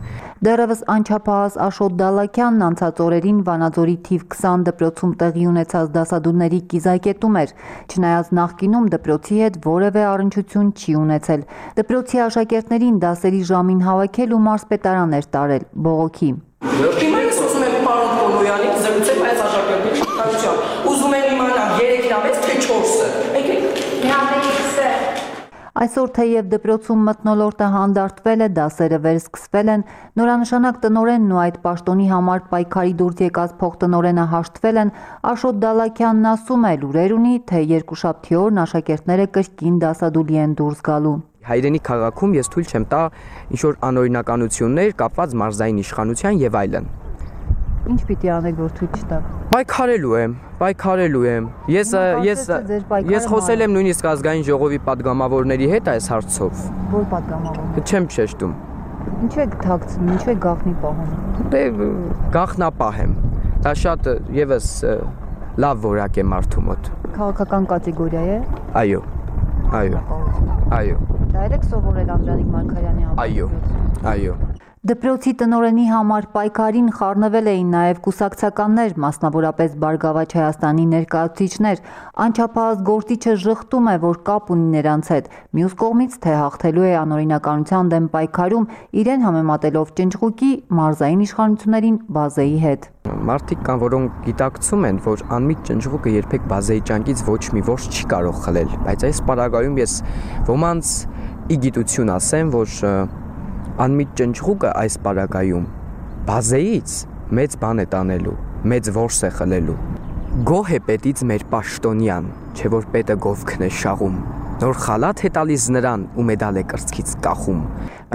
Դեռևս անչափահաս Աշոտ Դալաքյանն անցած օրերին Վանաձորի թիվ 20 դպրոցում տեղի ունեցած դասադուլների կիզակետում էր, չնայած նախկինում դպրոցի հետ որևէ առնչություն չի ունեցել։ Դպրոցի աշակերտներին դասերի ժամին հավաքել ու մարզպետարան էր տարել բողոքի։ Հիմա ես ուզում եմ պարոն Պոլոյանին զրուցել այս աշակերտի շփոթությամբ։ Ուզում եմ իմանալ 3-ից մեծ թե 4-ը։ Այսօր թեև դպրոցում մթնոլորտը հանդարտվել է, դասերը վերսկսվել են, նորանշանակ տնօրենն ու այդ պաշտոնի համար պայքարի դուրս եկած փոխտնօրենը հաշտվել են, Աշոտ Դալաքյանն ասում է, լուրեր ունի, թե երկուշաբթի օրն աշակերտները կրկին դասադուլի են դուրս գալու։ Հայրենի քաղաքում ես թույլ չեմ տա ինչ-որ անօրինականություններ կապված մարզային իշխանության եւ այլն։ Ինչ պիտի անեք, որ թույլ չտաք։ Պայքարելու եմ։ Ես խոսել եմ նույնիսկ ազգային ժողովի падգամավորների հետ այս հարցով։ Որ падգամավորներ։ Չեմ շեշտում։ Ինչու եք թաքցնում, ինչու եք գաղտնի պահում։ Դե գաղտնապահ եմ։ Դա շատ եւս լավ որակ է մարդու մոտ։ Քաղաքական կատեգորիա է։ Այո։ Դա եք սովորել Անդրանիկ Մարգարյանի համայնքում։ Այո։ Դպրոցի տնօրենի համար պայքարին խառնվել էին նաև կուսակցականներ, մասնավորապես Բարգավաճ Հայաստանի ներկայացուցիչներ։ Անչափահաս գործիչը ժխտում է, որ կապ ունի նրանց հետ։ Մյուս կողմից, թե հաղթելու է անօրինականության դեմ պայքարում, իրեն համեմատելով ճնճղուկի մարզային իշխանություններին բազեի հետ։ Մարդիկ կան, որոնք գիտակցում են, որ անմիտ ճնճղուկը երբեք բազեի ճանկից ոչ մի որս չի կարող խլել, բայց այս պարագայում ես ոմանց ի գիտություն ասեմ, որ անմիտ ճնճղուկը այս պարագայում բազեից մեծ բան է տանելու, մեծ որս է խլելու։ Գոհ է պետից մեր պաշտոնյան, չէ որ պետը գովքն է շաղում, նոր խալաթ է տալիս նրան ու մեդալ է կրծքից կախում։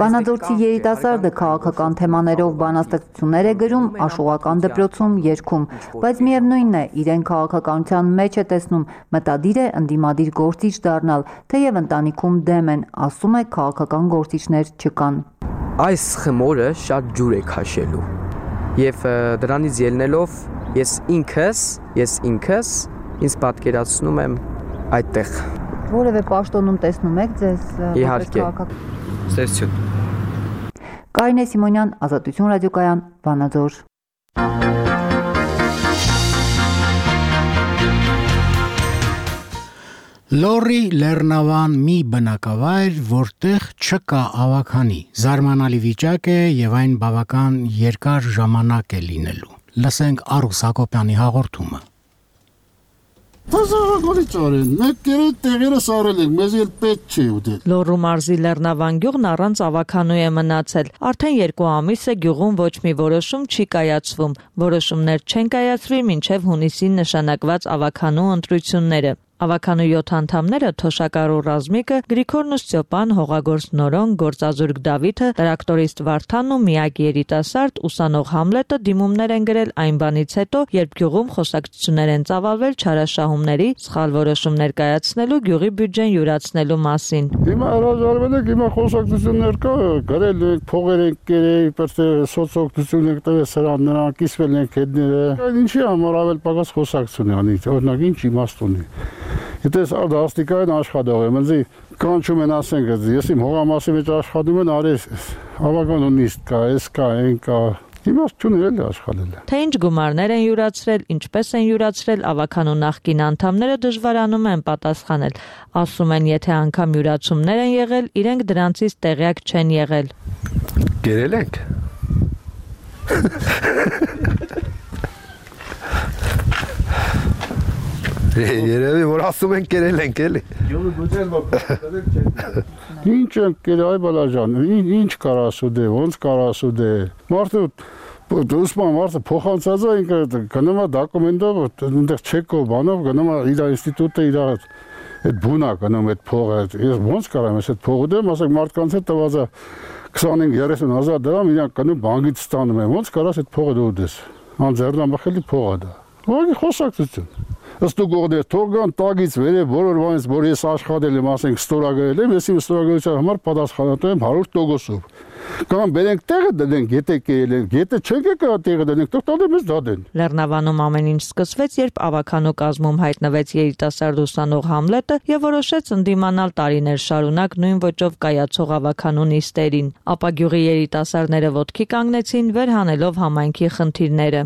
Վանաձորցի երիտասարդը քաղաքական թեմաներով բանաստեղծություններ է գրում, աշուղական դպրոցում երգում, բայց միևնույնն է, իրեն քաղաքականության մեջ է տեսնում, մտադիր է ընդդիմադիր գործիչ դառնալ, թեև ընտանիքում դեմ են, ասում է քաղաքական գործիչներ չկան։ Այս խմորը շատ ջուր է քաշելու եւ դրանից ելնելով ես ինքս ինձ պատկերացնում եմ այդտեղ որևէ պաշտոնում տեսնում եք ձեզ իհարկե ծեսություն Կարինե Սիմոնյան, Ազատություն ռադիոկայան, Վանաձոր։ Լորի Լեռնավան մի բնակավայր, որտեղ չկա ավագանի, զարմանալի վիճակ է եւ այն բավական երկար ժամանակ է լինելու։ Լսենք Արուս Հակոբյանի հաղորդումը։ Լոռու մարզի Լեռնավան գյուղն առանց ավագանու է մնացել։ Արդեն 2 ամիս է գյուղում ոչ մի որոշում չի կայացվում։ Որոշումներ չեն կայացվի մինչև հունիսին նշանակված ավագանու ընտրությունները։ Ավականու 7 անդամները Թոշակարու Ռազմիկը, Գրիգորն Ստյոպան, Հողագործ Նորոն, Գործազուրկ Դավիթը, տրակտորիստ Վարդանն ու միակ երիտասարդ ուսանող Համլետը դիմումներ են գրել այն բանից հետո, երբ գյուղում խոսակցություններ են ծավալվել չարաշահումների, սխալ որոշումներ կայացնելու, գյուղի բյուջեն յուրացնելու մասին։ Հիմա հրաժարվել եք, հիմա խոսակցություններ կա, գրել ենք, փողեր ենք կերել, իբր սոցօգնություն ենք տվել սրան, նրանք կիսվել ենք հետները։ Ինչի համար ավել պակաս խոսակցություն անի, օրինակ ինչ իմաստ ունի։ Եթե դաստիկային աշխատող եմ, ինձ կանչում են ասենք, ես իմ հողամասի մեջ աշխատում եմ, արի ավականու նիստ կա, էս կա, այն կա։ Իմաստ չունել է աշխատել։ Թե ինչ գումարներ են յուրացրել, ինչպես են յուրացրել, ավականու նախկին անդամները դժվարանում են պատասխանել։ Ասում են, եթե անգամ յուրացումներ են եղել, իրենք դրանցից տեղյակ չեն եղել։ Գերել ենք։ Երևի որ ասում են կերել ենք էլի։ Ինչ են կերել, այ բալաջան, ինչ կար ասուդե, ոնց կար ասուդե։ Մարդը դուսման մարդը փոխանցած է ինքը գնում է դոկումենտով, այնտեղ չեկով բանով գնում է իր ինստիտուտը իր այդ բունա գնում այդ փողը։ Ես ոնց կարամ ես այդ փողը դեմ, ասեք մարդկանց հետ տված է 25-30 հազար դրամ, իրանք գնում բանկից ստանում են։ Ոնց կարաս այդ փողը դու դես։ Անձեռնամխելի փող է դա։ Ուղղակի խոսակցություն։ Ըստ ուղղորդեր թողան տագից վերև բոլոր բանից, որ ես աշխատել եմ, ասենք ստորագրել եմ, ես իմ ստորագրության համար պատասխանատու եմ 100%-ով։ Կամ բերենք տեղը դնենք, եթե կերել ենք, եթե չենք եկա տեղը դնենք, թող տալը մեզ դադեն։ Լեռնավանում ամեն ինչ սկսվեց, երբ ավականու կազմում հայտնվեց երիտասարդ ուսանող Համլետը եւ որոշեց ընդդիմանալ տարիներ շարունակ նույն ոճով կայացող ավականու նիստերին։ Ապա գյուղի երիտասարդները ոտքի կանգնեցին, վերհանելով համայնքի խնդիրները։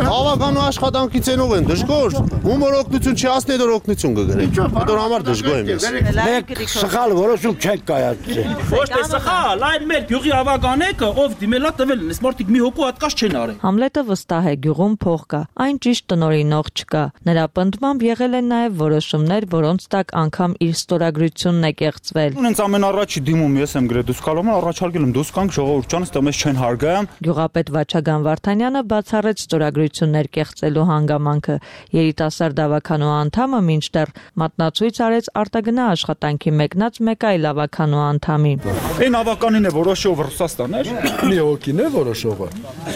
Ավականու աշխատանքից ենով են դժգոհ, ում որ օգնություն չի ասնի, դեռ օգնություն կգրեն։ Դեռ համար դժգոհ եմ ես։ Մեկ սխալ որոշում չեք կայացրել։ Ոչ թե սխալ, այլ մեր գյուղի ավականեկը, ով դիմելա տվել են, այս մարդիկ մի հոգու հատկաց չեն արել։ Համլետը վստահ է, գյուղում փող կա, այն ճիշտ տնօրինող չկա։ Նրա պնդմամբ եղել են նաև որոշումներ, որոնց տակ անգամ իր ստորագրությունն է կեղծվել։ Ունենց ամենառաջի դիմում ես եմ գրել, դուք կարող եք առաջարկել եմ դուք կանք ժողովուրդ ջան, ստե մեզ չեն հարգայամ։ Գյուղապետ Վաչագան Վարդանյանը բացառեց ստորագրություններ կեղծելու հանգամանքը։ Երիտասարդ ավականու անդամը մինչդեռ մատնացույց արեց արտագնա աշխատանքի մեկնած մեկ այլ ավականու անդամի։ Այն ավականին է որոշող Ռուսաստաներ։ Մի հոգին է որոշողը։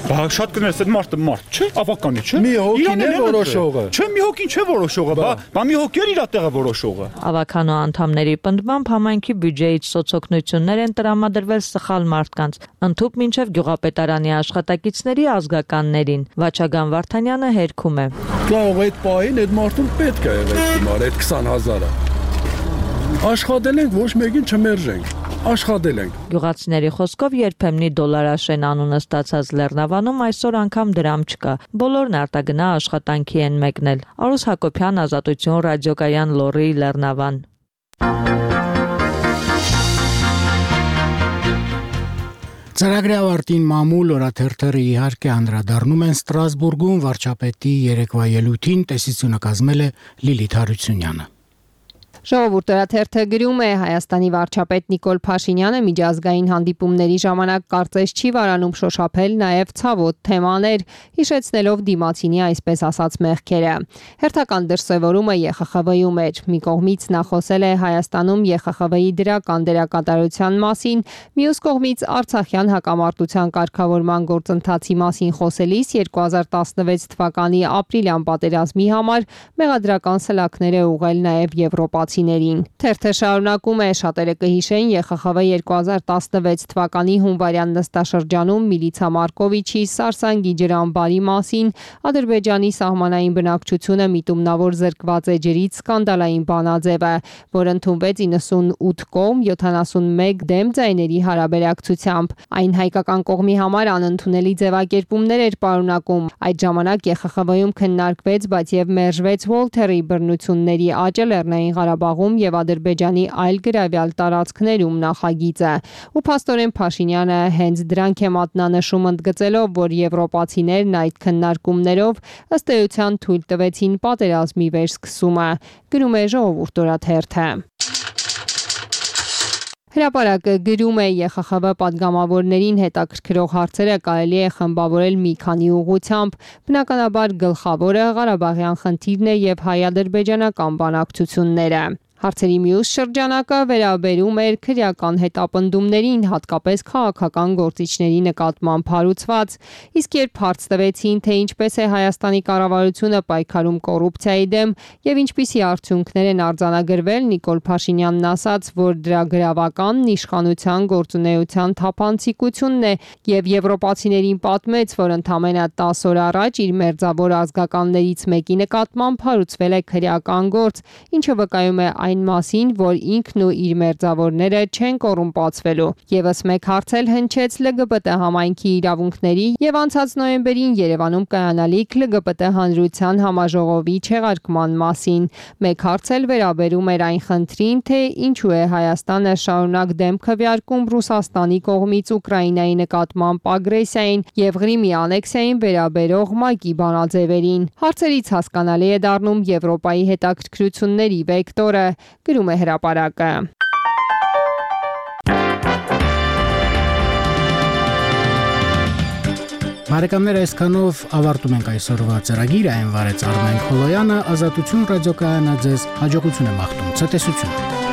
Բա շատ կներես այդ մարդը մարդ չէ, ավականի չէ։ Մի հոգին է որոշողը։ Չէ, մի հոգին չէ որոշողը, բա մի հոգի էր իր տեղը որոշողը։ Ավականու անդամների պնդմամբ համայնքի բյուջեից սոցօգնություններ են տրամադրվել սխալ մարդկանց, ընդհուպ մինչև գյուղապետարանի աշխատակիցների ազգականներին։ Վաչագան Վարդանյանը հերքում է։ Կարող այդ պահին այդ մարդուն պետք է եղել հիմար այդ 20000-ը։ Աշխատել ենք, ոչ մեկին չմերժենք։ Աշխատել ենք։ Գյուղացիների խոսքով երբեմնի դոլարաշեն անունը ստացած Լեռնավանում այսօր անգամ դրամ չկա։ Բոլորն արտագնա աշխատանքի են մեկնել։ Արուս Հակոբյան, Ազատություն, ռադիոկայան Լոռի, Լեռնավան։ Ծրագրի ավարտին մամուլ օրաթերթերը իհարկե անդրադառնում են Ստրասբուրգում վարչապետի երեկվա ելույթին, տեսությունը կազմել է Լիլիթ Հարությունյանը։ Ժողովուրդ օրաթերթը գրում է Հայաստանի վարչապետ Նիկոլ Փաշինյանը միջազգային հանդիպումների ժամանակ կարծես չի վարանում շոշափել նաև ցավոտ թեմաներ, հիշեցնելով դիմացինի այսպես ասած մեղքերը։ Հերթական դրսևորումը ԵԽԽՎ-ում էր։ Մի կողմից նա խոսել է Հայաստանում ԵԽԽՎ-ի դրական դերակատարության մասին, մյուս կողմից Արցախյան հակամարտության կարգավորման գործընթացի մասին խոսելիս 2016 թվականի ապրիլյան պատերազմի համար մեղադրական սլաքներ է ուղղել նաև եվրոպացի Թերթը շարունակում է, շատերը կհիշեն ԵԽԽՎ 2016 թվականի հունվարյան նստաշրջանում Միլիցա Մարկովիչի Սարսանգի ջրամբարի մասին Ադրբեջանի սահմանային բնակչությունը միտումնավոր զրկված էջերից սկանդալային բանաձև է, որ ընդունվեց 98 կողմ 71 դեմ ձայների հարաբերակցությամբ։ Այն հայկական կողմի համար անընդունելի ձևակերպումներ էր պարունակում։ Այդ ժամանակ ԵԽԽՎ-ում քննարկվեց, բայց եւ մերժվեց Վոլթերի բռնությունների աճը Լեռնային Ղարաբաղում եւ Ադրբեջանի այլ գրավյալ տարածքներում նախագիծը։ Ու փաստորեն Փաշինյանը հենց դրանք է մատնանշում, ընդգծելով, որ եվրոպացիներն այդ քննարկումներով ըստ էության թույլ տվեցին պատերազմի վերսկսումը։ Գրում է Ժողովուրդ օրաթերթը։ Հրապարակը գրում է ԵԽԽՎ պատգամավորներին հետաքրքրող հարցերը կարելի է խմբավորել մի քանի ուղղությամբ, բնականաբար գլխավորը Ղարաբաղյան խնդիրն է եւ հայ-ադրբեջանական բանակցությունները։ Հարցերի մյուս շրջանակը վերաբերում էր քրեական հետապնդումներին, հատկապես քաղաքական գործիչների նկատմամբ հարուցված, իսկ երբ հարց տվեցին, թե ինչպես է Հայաստանի կառավարությունը պայքարում կոռուպցիայի դեմ եւ ինչպիսի արդյունքներ են արձանագրվել, Նիկոլ Փաշինյանն ասաց, որ դրա գրավականն իշխանության գործունեության թափանցիկությունն է եւ եվրոպացիներին պատմեց, որ ընդամենը 10 օր առաջ իր մերձավոր ազգականներից մեկի նկատմամբ հարուցվել է քրեական գործ, ինչը վկայում է այն մասին, որ ինքն ու իր մերձավորները չեն կոռումպացվելու։ Եվս մեկ հարց էլ հնչեց LGBT համայնքի իրավունքների եւ անցած նոյեմբերին Երևանում կայանալիք LGBT հանրության համաժողովի չեղարկման մասին։ Մեկ հարց էլ վերաբերում էր այն խնդրին, թե ինչու է Հայաստանը շարունակ դեմ քվեարկում Ռուսաստանի կողմից Ուկրաինայի նկատմամբ ագրեսիային եւ Ղրիմի անեքսիային վերաբերող ՄԱԿ-ի բանաձևերին։ Հարցերից հասկանալի է դառնում Եվրոպայի հետաքրքրությունների վեկտորը, գրում է հրապարակը։ Բարեկամներ, այսքանով ավարտում ենք այսօրվա ծրագիրը, այն վարեց Արմեն Խոլոյանը, Ազատություն ռադիոկայանը ձեզ հաջողություն է մաղթում, ցտեսություն։